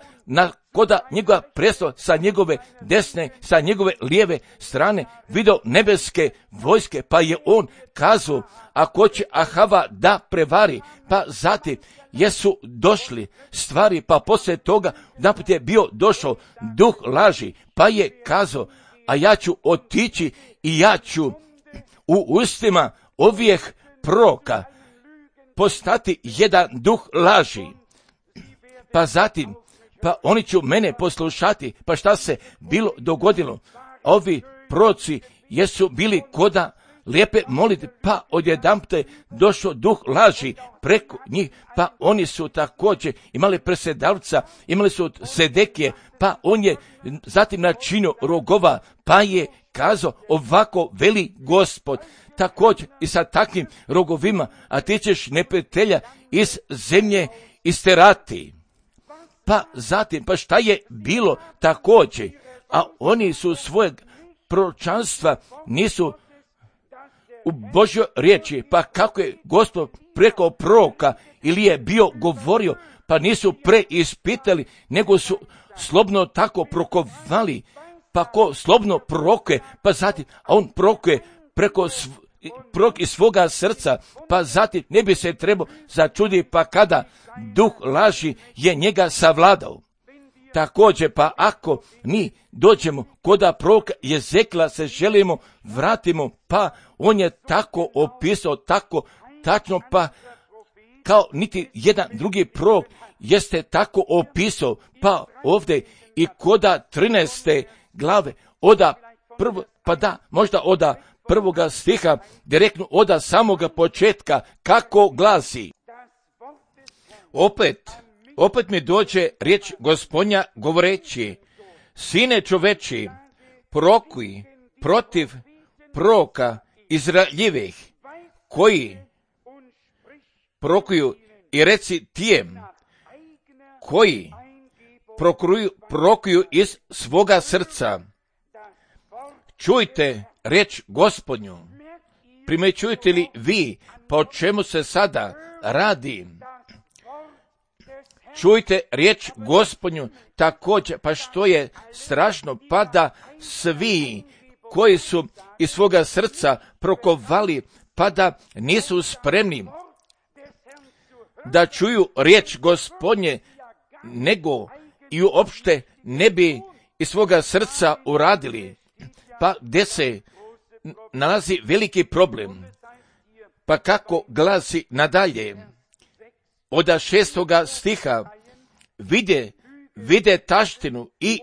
koda njegova prestola sa njegove desne, sa njegove lijeve strane, vidio nebeske vojske, pa je on kazao, ako će Ahava da prevari, pa zatim jesu došli stvari, pa poslije toga naput je bio došao duh laži, pa je kazao, a ja ću otići i ja ću u ustima ovih proroka postati jedan duh laži. Pa zatim, pa oni će mene poslušati. Pa šta se bilo dogodilo? Ovi proroci jesu bili koda lijepe molite, pa odjedanput je došao duh laži preko njih, pa oni su također imali presedavca, imali su Sedekije, pa on je zatim načinio rogova, pa je kazao, ovako veli Gospod, također i sa takvim rogovima, a ti ćeš neprijatelja iz zemlje isterati. Pa zatim, pa šta je bilo također, a oni su svojeg proročanstva nisu u Božjoj riječi, pa kako je Gospod preko proroka ili je bio govorio, pa nisu preispitali, nego su slobno tako prokovali, pa ko slobno prorokuje, pa zatim, a on prorokuje preko prorok iz svoga srca, pa zatim ne bi se trebao začuditi, pa kada duh laži je njega savladao. Također, pa ako mi dođemo koda proroka Jezekla se želimo vratimo, pa on je tako opisao, tako tačno, pa kao niti jedan drugi prorok jeste tako opisao, pa ovdje i koda 13. glave, možda oda prvoga stiha, direktno oda samoga početka, kako glasi. Opet mi dođe riječ Gospodnja govoreći, sine čoveči, prorokuj protiv proroka Izraeljevih, koji prorokuju, i reci tijem, koji prorokuju iz svoga srca. Čujte riječ Gospodnju, primjećujete li vi, pa o čemu se sada radi? Čujte riječ Gospodnju također, pa što je strašno, pa da svi koji su iz svoga srca prokovali, pa da nisu spremni da čuju riječ Gospodnje, nego i uopšte ne bi iz svoga srca uradili. Pa gdje se nalazi veliki problem? Pa kako glasi nadalje? Od 6. stiha, vide taštinu i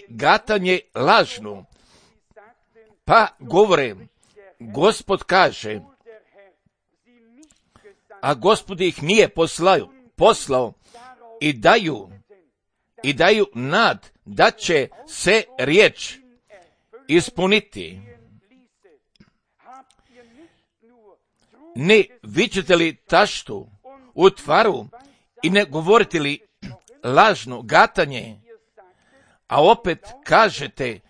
gatanje lažnu. pa govore, Gospod kaže, a Gospod ih nije poslao i daju nad da će se riječ ispuniti. Ne viđete li taštu u tvaru i ne govorite li lažno gatanje, a opet kažete,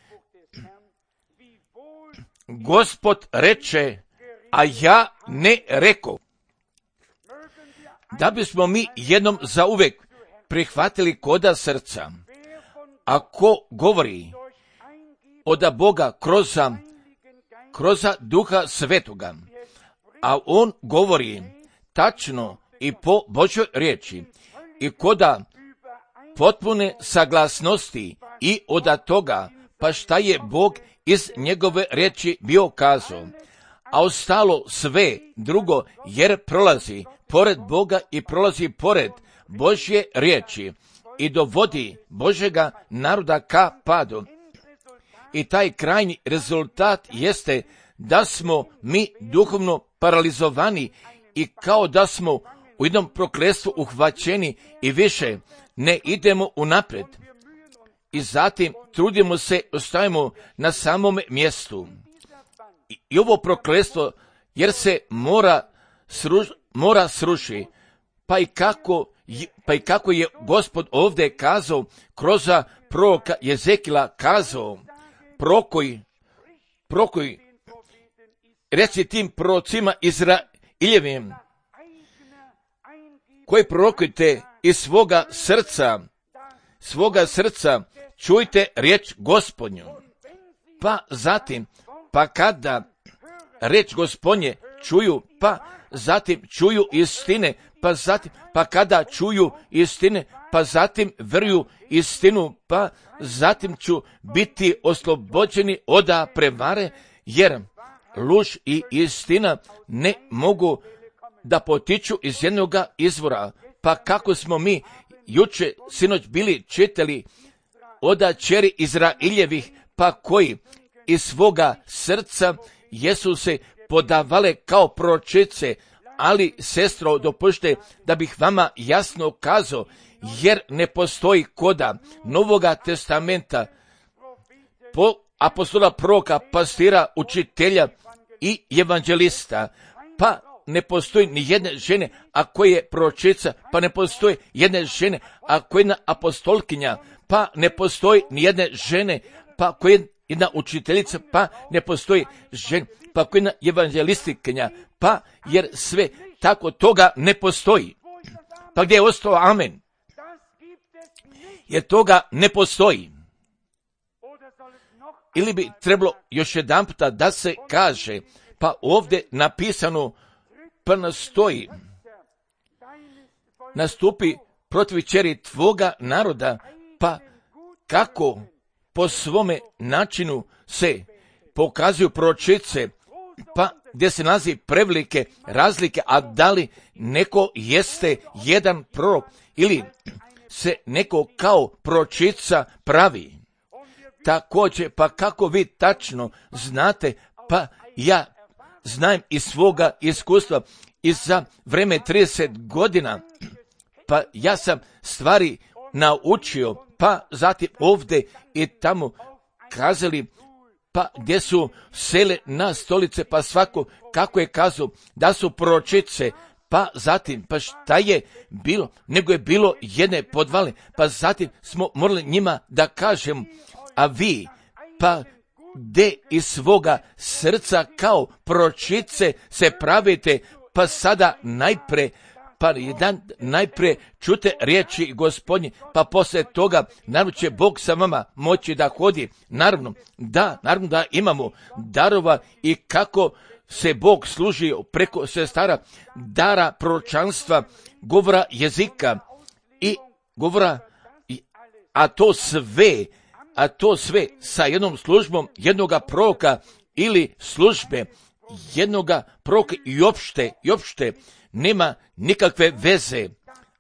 Gospod reče, a ja ne reko. Da bismo mi jednom zauvek prihvatili koda srca, ako govori od Boga kroz Duha Svetoga, a on govori tačno i po Božoj riječi i koda potpune saglasnosti i od toga, pa šta je Bog iz njegove riječi bio kazao, a ostalo sve drugo, jer prolazi pored Boga i prolazi pored Božje riječi i dovodi Božjega naroda ka padu. I taj krajnji rezultat jeste da smo mi duhovno paralizovani i kao da smo u jednom prokletstvu uhvaćeni i više ne idemo unaprijed. I zatim trudimo se, ostajemo na samome mjestu. I ovo prokletstvo, jer se mora sruši, pa i kako je Gospod ovdje kazao, kroz proroka Jezekila kazao, prokoj, reci tim prorocima Izraeljevim, koji prorokujte iz svoga srca, čujte riječ Gospodnju. Pa zatim, pa kada riječ Gospodnje čuju, pa zatim čuju istine, pa kada čuju istine, pa zatim vjeruju istinu, pa zatim ću biti oslobođeni od prevare, jer luž i istina ne mogu da potiču iz jednoga izvora. Pa kako smo mi juče, sinoć bili čitali od ćeri Izraeljevih, pa koji iz svoga srca jesu se podavale kao proročice, ali sestro, dopušte da bih vama jasno kazao, jer ne postoji koda Novoga testamenta po apostola, proroka, pastira, učitelja i evanđelista, pa ne postoji ni jedne žene, a koja je proročica, pa ne postoji jedne žene, a koja je jedna apostolkinja, pa ne postoji ni jedne žene, pa koja je jedna učiteljica, pa ne postoji žena, pa koja je jedna evanđelistikinja, pa jer sve tako toga ne postoji. Pa gdje je ostao amen? Jer toga ne postoji. Ili bi trebalo još jedan puta da se kaže, pa ovdje napisano, pa nastoji, nastupi protiv ćeri tvoga naroda, pa kako po svome načinu se pokazuju proročice, pa gdje se nalazi prevelike razlike, a da li neko jeste jedan prorok ili se neko kao proročica pravi. Također, pa kako vi tačno znate, pa ja znam iz svoga iskustva i za vreme 30 godina, pa ja sam stvari naučio, pa zatim ovdje i tamo kazali, pa gdje su sele na stolice, pa svako kako je kazao da su proročice, pa zatim, pa šta je bilo, nego je bilo jedne podvale, pa zatim smo morali njima da kažem, a vi, pa gdje iz svoga srca kao proročice se pravite, pa sada najprije čute riječi Gospodnje, pa poslije toga naravno će Bog sa vama moći da hodi. Naravno da imamo darova i kako se Bog služi preko sestara dara proročanstva, govora jezika i govora, a to sve sa jednom službom jednoga proroka ili službe jednoga proroka i opšte nema nikakve veze.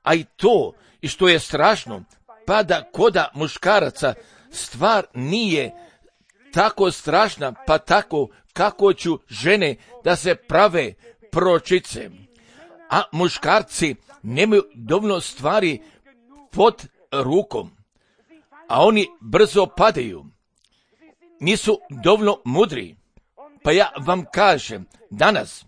A i to, i što je strašno, pa da koda muškaraca stvar nije tako strašna, pa tako kako ću žene da se prave proročice, a muškarci nemaju dovoljno stvari pod rukom, a oni brzo padaju, nisu dovoljno mudri. Pa ja vam kažem, danas,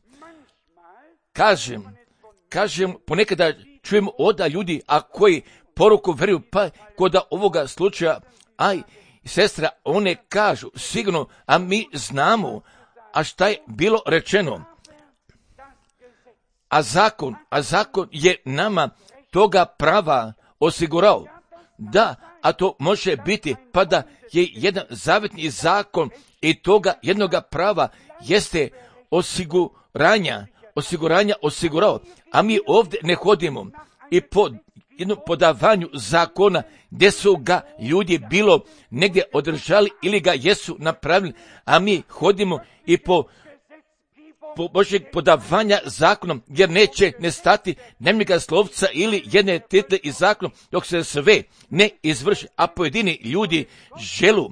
kažem, ponekada čujem oda ljudi, a koji poruku vjeruju, pa kod ovoga slučaja, aj, sestra, one kažu, sigurno, a mi znamo, a šta je bilo rečeno. A zakon je nama toga prava osigurao. Da, a to može biti, pa da je jedan zavetni zakon i toga jednoga prava jeste osiguranja osigurao. A mi ovdje ne hodimo i po jednom podavanju zakona gdje su ga ljudi bilo negdje održali ili ga jesu napravili, a mi hodimo i po Božjeg podavanja zakonom, jer neće nestati dnevnika slovca ili jedne title iz zakonom, dok se sve ne izvrši, a pojedini ljudi želu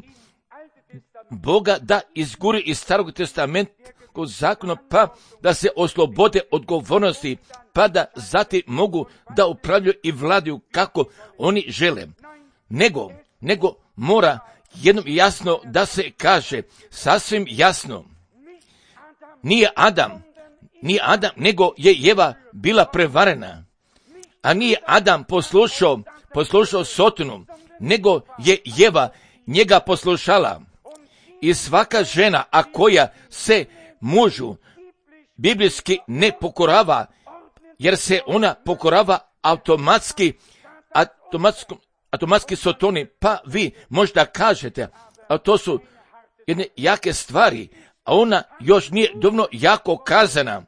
Boga da izguri iz Starog testamentskog zakona, pa da se oslobode odgovornosti, pa da zatim mogu da upravljaju i vladaju kako oni žele. Nego mora jednom jasno da se kaže, sasvim jasno, nije Adam, nego je Eva bila prevarena, a nije Adam poslušao Sotonu, nego je Eva njega poslušala. I svaka žena, a koja se mužu biblijski ne pokorava, jer se ona pokorava automatski Sotoni, pa vi možda kažete, a to su jedne jake stvari, a ona još nije dovoljno jako kazana,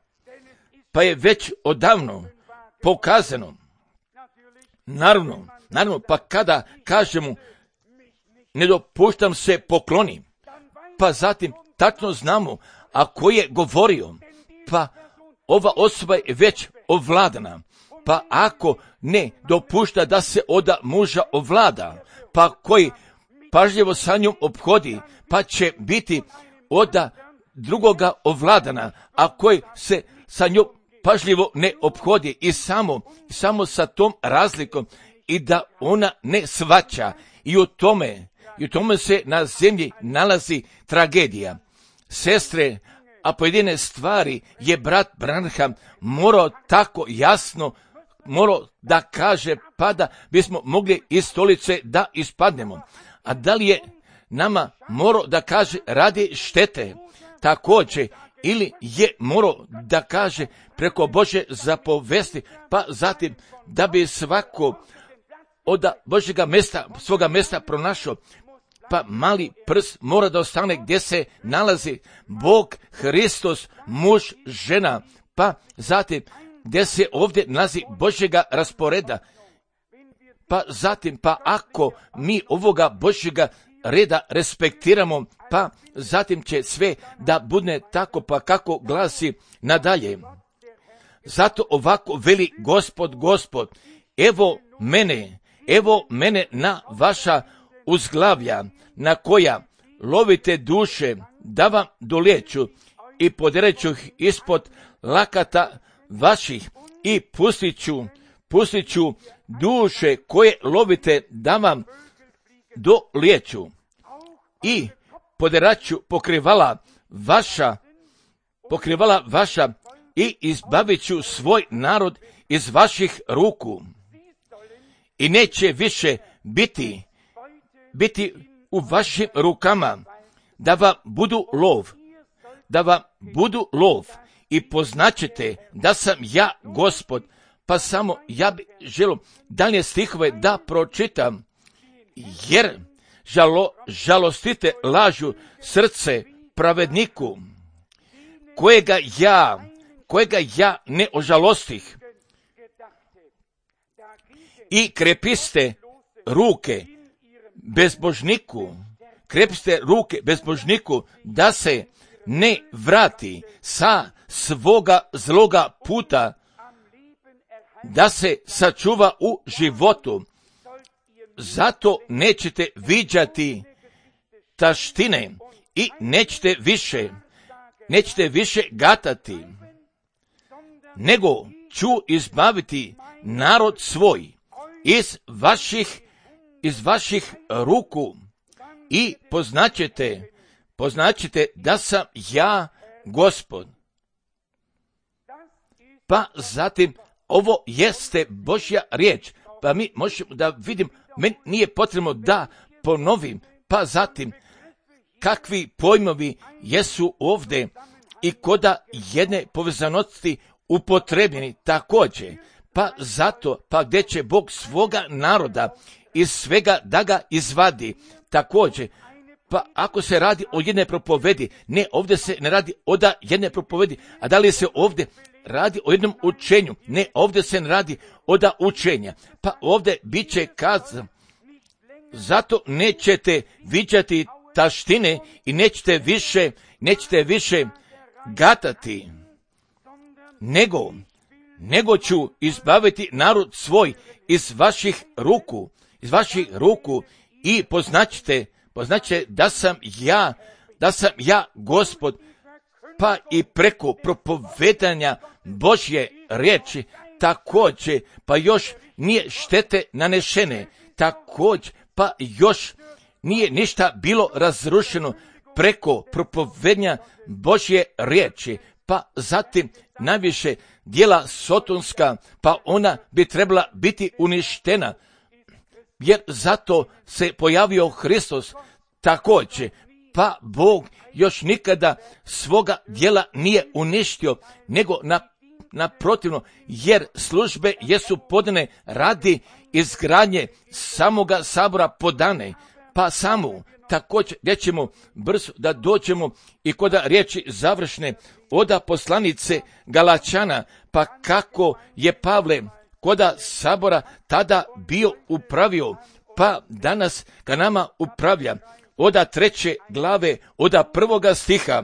pa je već odavno pokazano. Naravno, pa kada kažemo ne dopuštam se pokloni, pa zatim tačno znamo, a ko je govorio, pa ova osoba je već ovladana, pa ako ne dopušta da se od muža ovlada, pa koji pažljivo sa njom ophodi, pa će biti od drugoga ovladana, a koji se sa njom pažljivo ne ophodi i samo sa tom razlikom i da ona ne shvaća i u tome se na zemlji nalazi tragedija. Sestre, a pojedine stvari je brat Branham morao tako jasno da kaže, pa da bismo mogli iz stolice da ispadnemo. A da li je nama morao da kaže radi štete također, ili je morao da kaže preko Božje zapovesti, pa zatim da bi svako od Božjega mjesta, svoga mjesta pronašao, pa mali prst mora da ostane gdje se nalazi Bog, Hristos, muž, žena, pa zatim gdje se ovdje nalazi Božjega rasporeda, pa zatim, pa ako mi ovoga Božjega reda respektiramo, pa zatim će sve da bude tako, pa kako glasi nadalje. Zato ovako veli Gospod, evo mene na vaša uzglavlja, na koja lovite duše, da vam doliječu i podereću ih ispod lakata vaših i pustit ću duše koje lovite da vam doliječu i poderaću pokrivala vaša i izbavit ću svoj narod iz vaših ruku i neće više biti u vašim rukama da vam budu lov i poznaćete da sam ja Gospod. Pa samo ja bih želio dalje stihove da pročitam, jer žalostite lažu srce pravedniku, kojega ja ne ožalostih, i krepiste ruke bezbožniku, da se ne vrati sa svoga zloga puta, da se sačuva u životu. Zato nećete viđati taštine i nećete više gatati, nego ću izbaviti narod svoj iz vaših ruku i poznaćete da sam ja Gospod. Pa zatim, ovo jeste Božja riječ, pa mi možemo da vidim, meni nije potrebno da ponovim, pa zatim, kakvi pojmovi jesu ovdje i koda jedne povezanosti upotrebljeni također, pa zato, pa gdje će Bog svoga naroda iz svega da ga izvadi također. Pa ako se radi o jedne propovedi, ne, ovdje se ne radi o jedne propovedi, a da li se ovdje radi o jednom učenju? Ne, ovdje se ne radi o učenja. Pa ovdje bit će kazano, zato nećete viđati taštine i nećete više gatati, nego ću izbaviti narod svoj iz vaših ruku i poznaćete da sam ja Gospod. Pa i preko propovedanja Božje riječi također, pa još nije štete nanešene, također, pa još nije ništa bilo razrušeno preko propovedanja Božje riječi. Pa zatim najviše djela sotonska, pa ona bi trebala biti uništena, jer zato se pojavio Hristos također. Pa Bog još nikada svoga djela nije uništio, nego naprotivno, jer službe jesu podane radi izgradnje samoga sabora podane, pa samo također gdje ćemo brzo da dođemo i kod riječi završne oda poslanice Galačana, pa kako je Pavle koda sabora tada bio upravio, pa danas ka nama upravlja. Oda 3. glave, oda 1. stiha.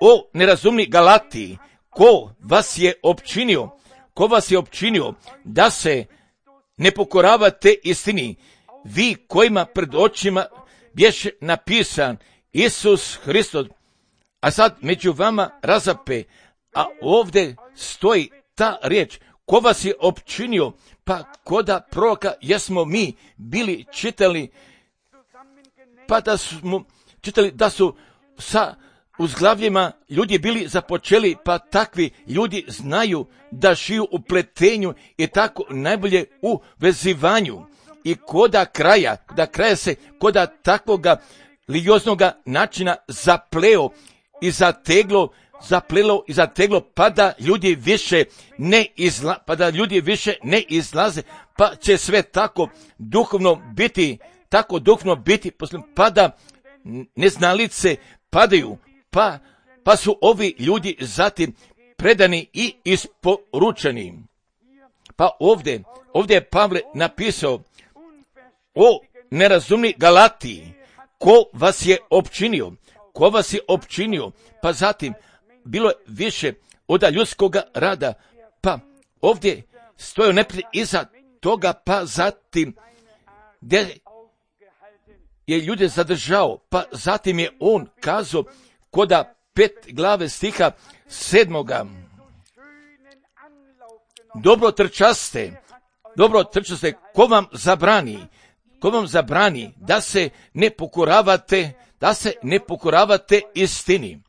O nerazumni Galatiji, ko vas je opčinio da se ne pokoravate istini, vi kojima pred očima bješe napisan Isus Hristos, a sad među vama razape, a ovdje stoji ta riječ, ko vas je opčinio, pa koda proroka jesmo mi bili čitali, pa da smo čitali da su sa uzglavljima ljudi bili započeli, pa takvi ljudi znaju da šiju u pletenju i tako najbolje u vezivanju. I koda kraja se koda takvoga lioznoga načina zaplelo i zateglo, pa da ljudi više ne izlaze, pa će sve tako duhovno biti, pa da neznalice padaju, pa su ovi ljudi zatim predani i isporučeni. Pa ovdje je Pavle napisao, o nerazumni Galatiji, ko vas je opčinio, pa zatim bilo je više od ljudskoga rada, pa ovdje stoje neprijatelj iza toga, pa zatim gdje je ljude zadržao, pa zatim je on kazao koda 5. glave stiha 7. Dobro trčaste, ko vam zabrani da se ne pokoravate istini.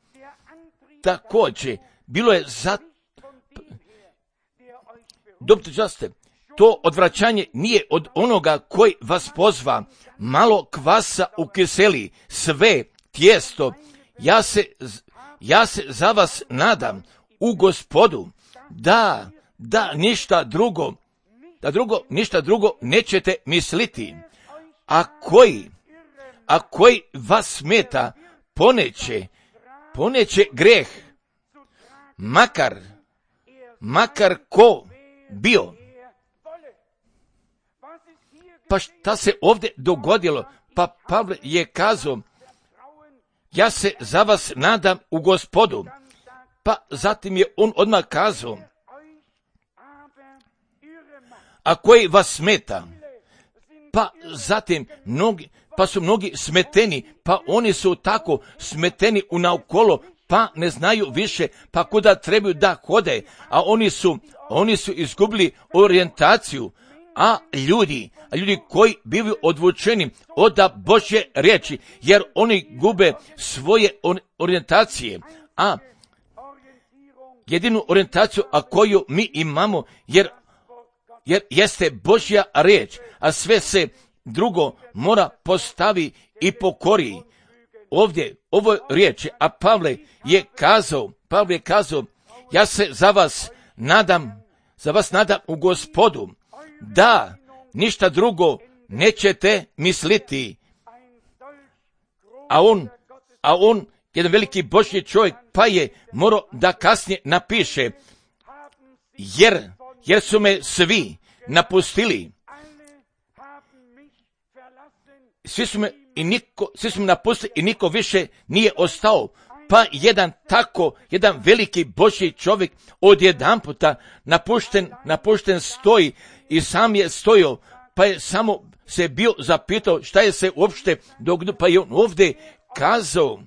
Također, bilo je dobro trčaste, to odvraćanje nije od onoga koji vas pozva, malo kvasa ukiseli sve tijesto. Ja se za vas nadam u Gospodu, da ništa drugo nećete misliti. A koji vas smeta, poneće greh, makar ko bio. Pa šta se ovdje dogodilo? Pa Pavle je kazao, ja se za vas nadam u Gospodu. Pa zatim je on odmah kazao, a koji vas smeta? Pa zatim pa su mnogi smeteni, pa oni su tako smeteni naokolo, pa ne znaju više, pa kuda trebaju da hode, a oni su izgubili orijentaciju, a ljudi koji bivaju odvučeni od Božje riječi, jer oni gube svoje orijentacije, a jedinu orijentaciju koju mi imamo, jer jeste Božja riječ, a sve se drugo mora postavi i pokori. Ovdje, ovo riječi, a Pavle je kazao, ja se za vas nadam u Gospodu, da ništa drugo nećete misliti. A on, jedan veliki Božji čovjek, pa je morao da kasnije napiše, jer su me svi napustili. Svi su me napustili i niko više nije ostao. Pa jedan veliki Božji čovjek odjedanputa napušten stoji i sam je stojao, pa je samo se bio zapitao šta je se uopšte dogodilo, pa je on ovdje kazao,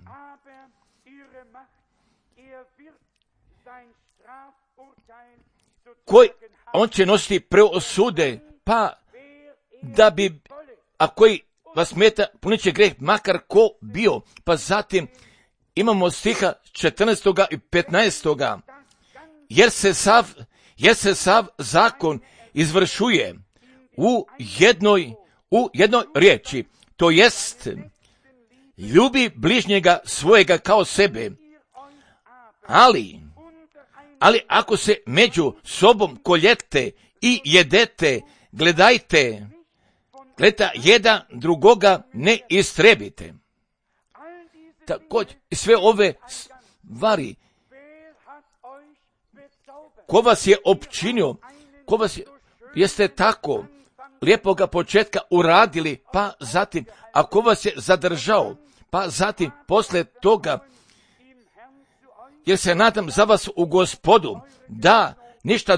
on će nositi preosude, pa da bi, a koji vas smeta, puniće greh, makar ko bio. Pa zatim imamo stiha 14. i 15. Jer se sav zakon izvršuje u jednoj riječi, to jest ljubi bližnjega svojega kao sebe. Ali ako se među sobom koljete i jedete, gledajte, jedan drugoga ne istrebite. Također, sve ove stvari, ko vas je opčinio, jeste tako lijepoga početka uradili, pa zatim, ako vas je zadržao, pa zatim, posle toga, jer se nadam za vas u Gospodu, da ništa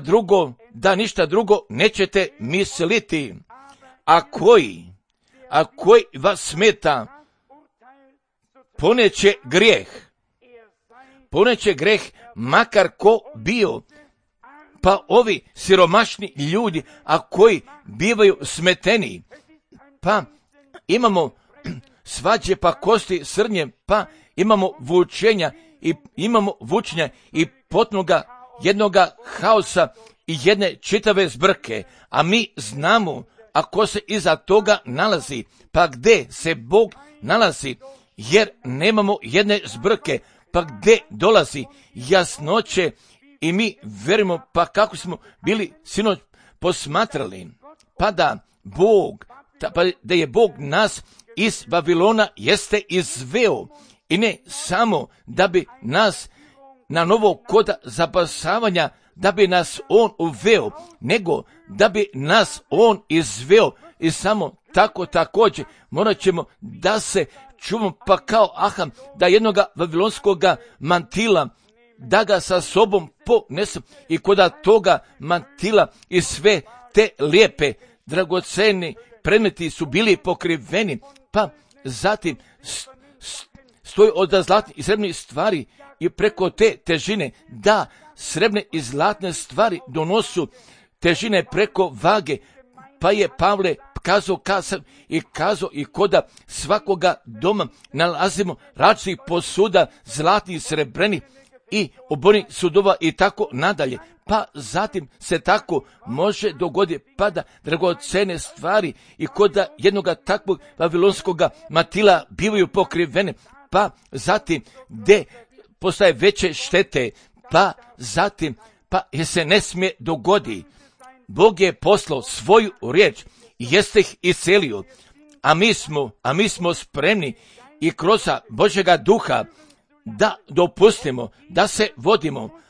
drugo nećete misliti. A koji vas smeta, poneće grijeh, makar ko bio. Pa ovi siromašni ljudi, a koji bivaju smeteni, pa imamo svađe, pa kosti srnje, pa imamo vučenja i potnoga jednoga haosa i jedne čitave zbrke, a mi znamo, a ko se iza toga nalazi, pa gdje se Bog nalazi, jer nemamo jedne zbrke, pa gdje dolazi jasnoće i mi verimo, pa kako smo bili sinoć posmatrali, pa da je Bog nas iz Babilona jeste izveo, i ne samo da bi nas na novo koda zapasavanja, da bi nas on uveo, nego da bi nas on izveo, i samo tako također morat ćemo da se čuvamo, pa kao Aham, da jednoga vavilonskoga mantila, da ga sa sobom ponesem, i koda toga mantila i sve te lijepe, dragoceni predmeti su bili pokriveni, pa zatim stoji od zlatnih i srebrnih stvari, i preko te težine, da srebrne i zlatne stvari donosu težine preko vage, pa je Pavle kazao i koda svakoga doma nalazimo različitih posuda, zlatnih, srebrenih i obornih sudova i tako nadalje. Pa zatim se tako može dogoditi, pa da dragocene stvari i koda jednoga takvog vavilonskoga matila bivaju pokrivene, pa zatim gdje postaje veće štete, pa zatim, jer se ne smije dogodi. Bog je poslao svoju riječ i jeste ih iscelio, a mi smo spremni i kroz Božjega duha da dopustimo, da se vodimo,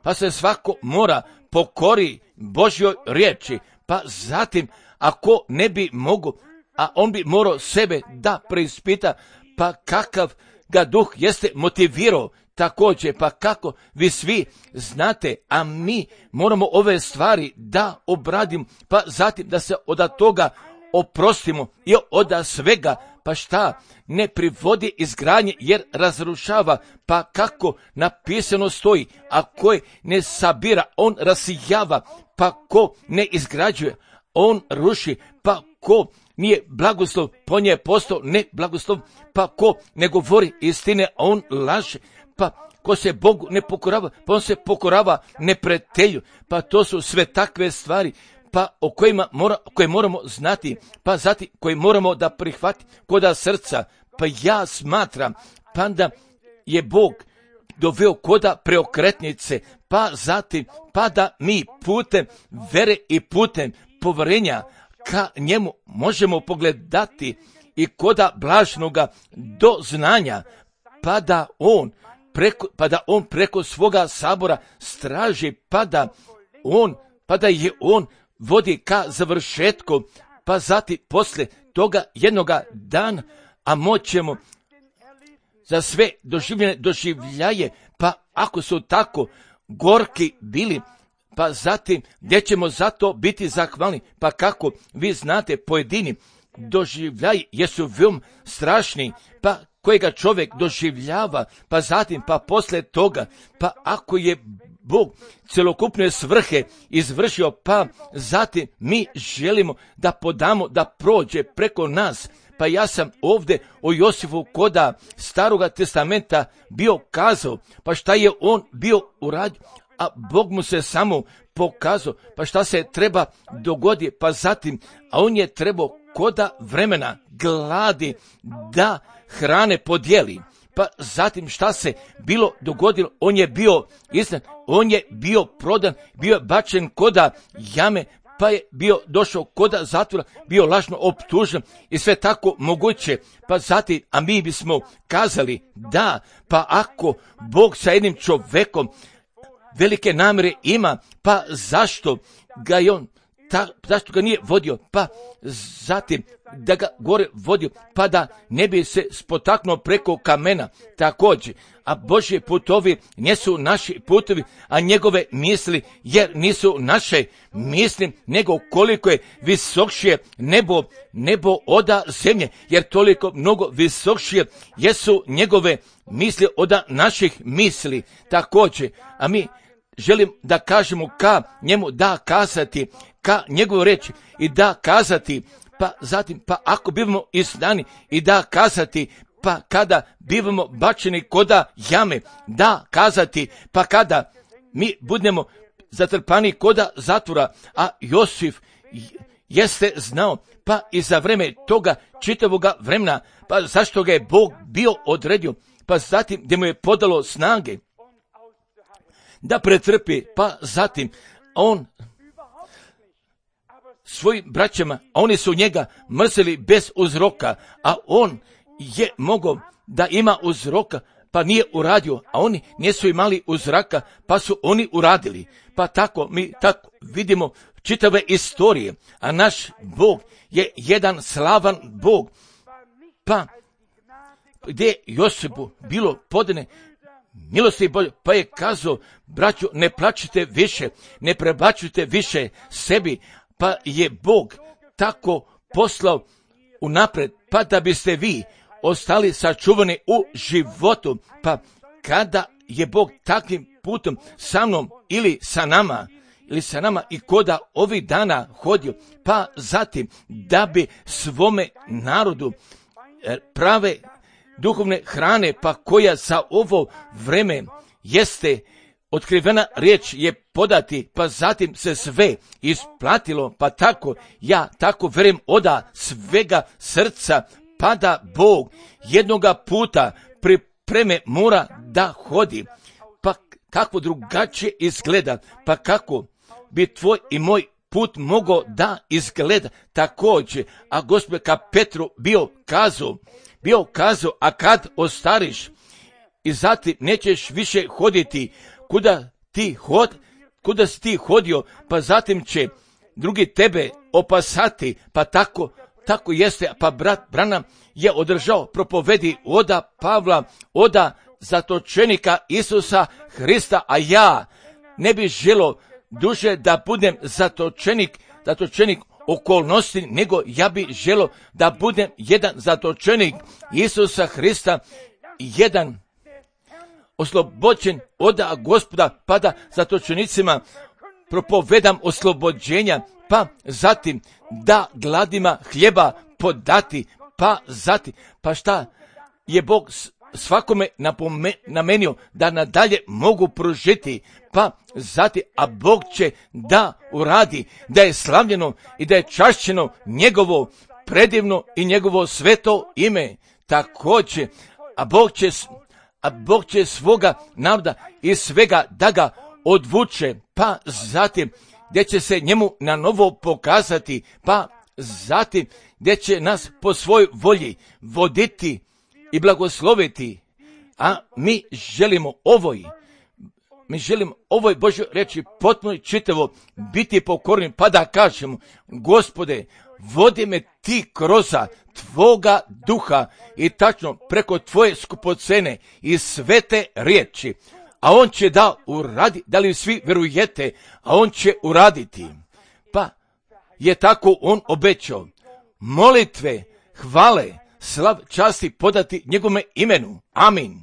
pa se svako mora pokori Božjoj riječi, pa zatim, ako ne bi mogo, a on bi morao sebe da preispita, pa kakav ga duh jeste motivirao također, pa kako vi svi znate, a mi moramo ove stvari da obradimo, pa zatim da se od toga oprostimo i oda svega, pa šta, ne privodi izgradnje jer razrušava, pa kako napisano stoji, a koji ne sabira, on rasijava, pa ko ne izgrađuje, on ruši, pa ko nije blagoslov, po nje je postao ne blagoslov, pa ko ne govori istine, on laže, pa ko se Bogu ne pokorava, pa on se pokorava neprijatelju, pa to su sve takve stvari, pa o koje moramo znati, pa zatim koje moramo da prihvati koda srca. Pa ja smatram, pa da je Bog doveo koda preokretnice, pa zatim, pa da mi putem vere i putem poverenja ka njemu možemo pogledati i koda blažnoga do znanja, pa da on preko svoga sabora straži, pa da je on vodi ka završetku, pa zatim posle toga jednoga dana, a moćemo za sve doživljaje, pa ako su tako gorki bili, pa zatim gdje ćemo zato biti zahvalni, pa kako vi znate pojedini doživljaji jesu veoma strašni, pa kojega čovjek doživljava, pa zatim, pa posle toga, pa ako je Bog celokupne svrhe izvršio, pa zatim mi želimo da podamo da prođe preko nas. Pa ja sam ovdje o Josifu koda Staroga testamenta bio kazao, pa šta je on bio uradio, a Bog mu se samo pokazao, pa šta se treba dogodi, pa zatim, a on je trebao koda vremena gladi da hrane podijeli. Pa zatim šta se bilo dogodilo, on je bio izdan, on je bio prodan, bio je bačen koda jame, pa je bio došao koda zatvora, bio lažno optužen i sve tako moguće. Pa zatim, a mi bismo kazali da, pa ako Bog sa jednim čovekom velike namjere ima, pa zašto ga je on zašto ga nije vodio, pa zatim da ga gore vodio, pa da ne bi se spotaknuo preko kamena također. A Božje putovi nisu naši putovi, a njegove misli, jer nisu naše misli, nego koliko je visokšije nebo oda zemlje, jer toliko mnogo visokšije jesu njegove misli oda naših misli također. A mi želim da kažemo ka njemu da kazati, ka njegovoj reči i da kazati, pa zatim, pa ako bivamo izdani i da kazati, pa kada bivamo bačeni koda jame, da kazati, pa kada mi budemo zatrpani koda zatvora, a Josif jeste znao, pa i za vreme toga čitavoga vremena, pa zašto ga je Bog bio odredio, pa zatim gdje mu je podalo snage da pretrpi, pa zatim on svojim braćama, a oni su njega mrzeli bez uzroka, a on je mogao da ima uzroka, pa nije uradio, a oni nisu imali uzraka, pa su oni uradili. Pa tako mi tako vidimo čitave istorije, a naš Bog je jedan slavan Bog, pa gdje Josipu bilo podane milosti Bože, pa je kazao, braćo, ne plačite više, ne prebacujte više sebi, pa je Bog tako poslao unapred, pa da biste vi ostali sačuvani u životu, pa kada je Bog takvim putom sa mnom ili sa nama i koda ovih dana hodio, pa zatim da bi svome narodu prave duhovne hrane, pa koja za ovo vreme jeste otkrivena riječ je podati, pa zatim se sve isplatilo, pa tako, ja tako verujem oda svega srca, pa da Bog jednoga puta pripreme mora da hodi, pa kako drugačije izgleda, pa kako bi tvoj i moj put mogao da izgleda također, a Gospod ka Petru bio kazao, a kad ostariš i zatim nećeš više hoditi kuda si ti hodio, pa zatim će drugi tebe opasati, pa tako jeste, pa brat Branham je održao propovedi oda Pavla, oda zatočenika Isusa Hrista, a ja ne bih želio duže da budem zatočenik okolnosti, nego ja bi želio da budem jedan zatočenik Isusa Hrista, jedan oslobođen od Gospoda, pa da zatočenicima propovedam oslobođenja, pa zatim da gladima hljeba podati, pa zatim, pa šta je Bog svakome namenio da nadalje mogu pružiti, pa zatim, a Bog će da uradi, da je slavljeno i da je čašćeno njegovo predivno i njegovo sveto ime. Također, a Bog će svoga naroda i svega da ga odvuče, pa zatim gdje će se njemu na novo pokazati, pa zatim gdje će nas po svojoj volji voditi i blagosloviti. A mi želimo ovoj Božoj reći potpuno čitavo biti pokorni, pa da kažemo: Gospode, vodi me ti kroz tvoga duha i tačno preko tvoje skupocene i svete riječi. A on će da uradi, da li svi verujete, a on će uraditi. Pa je tako on obećao. Molitve, hvale, slav, časti podati njegove imenu. Amin.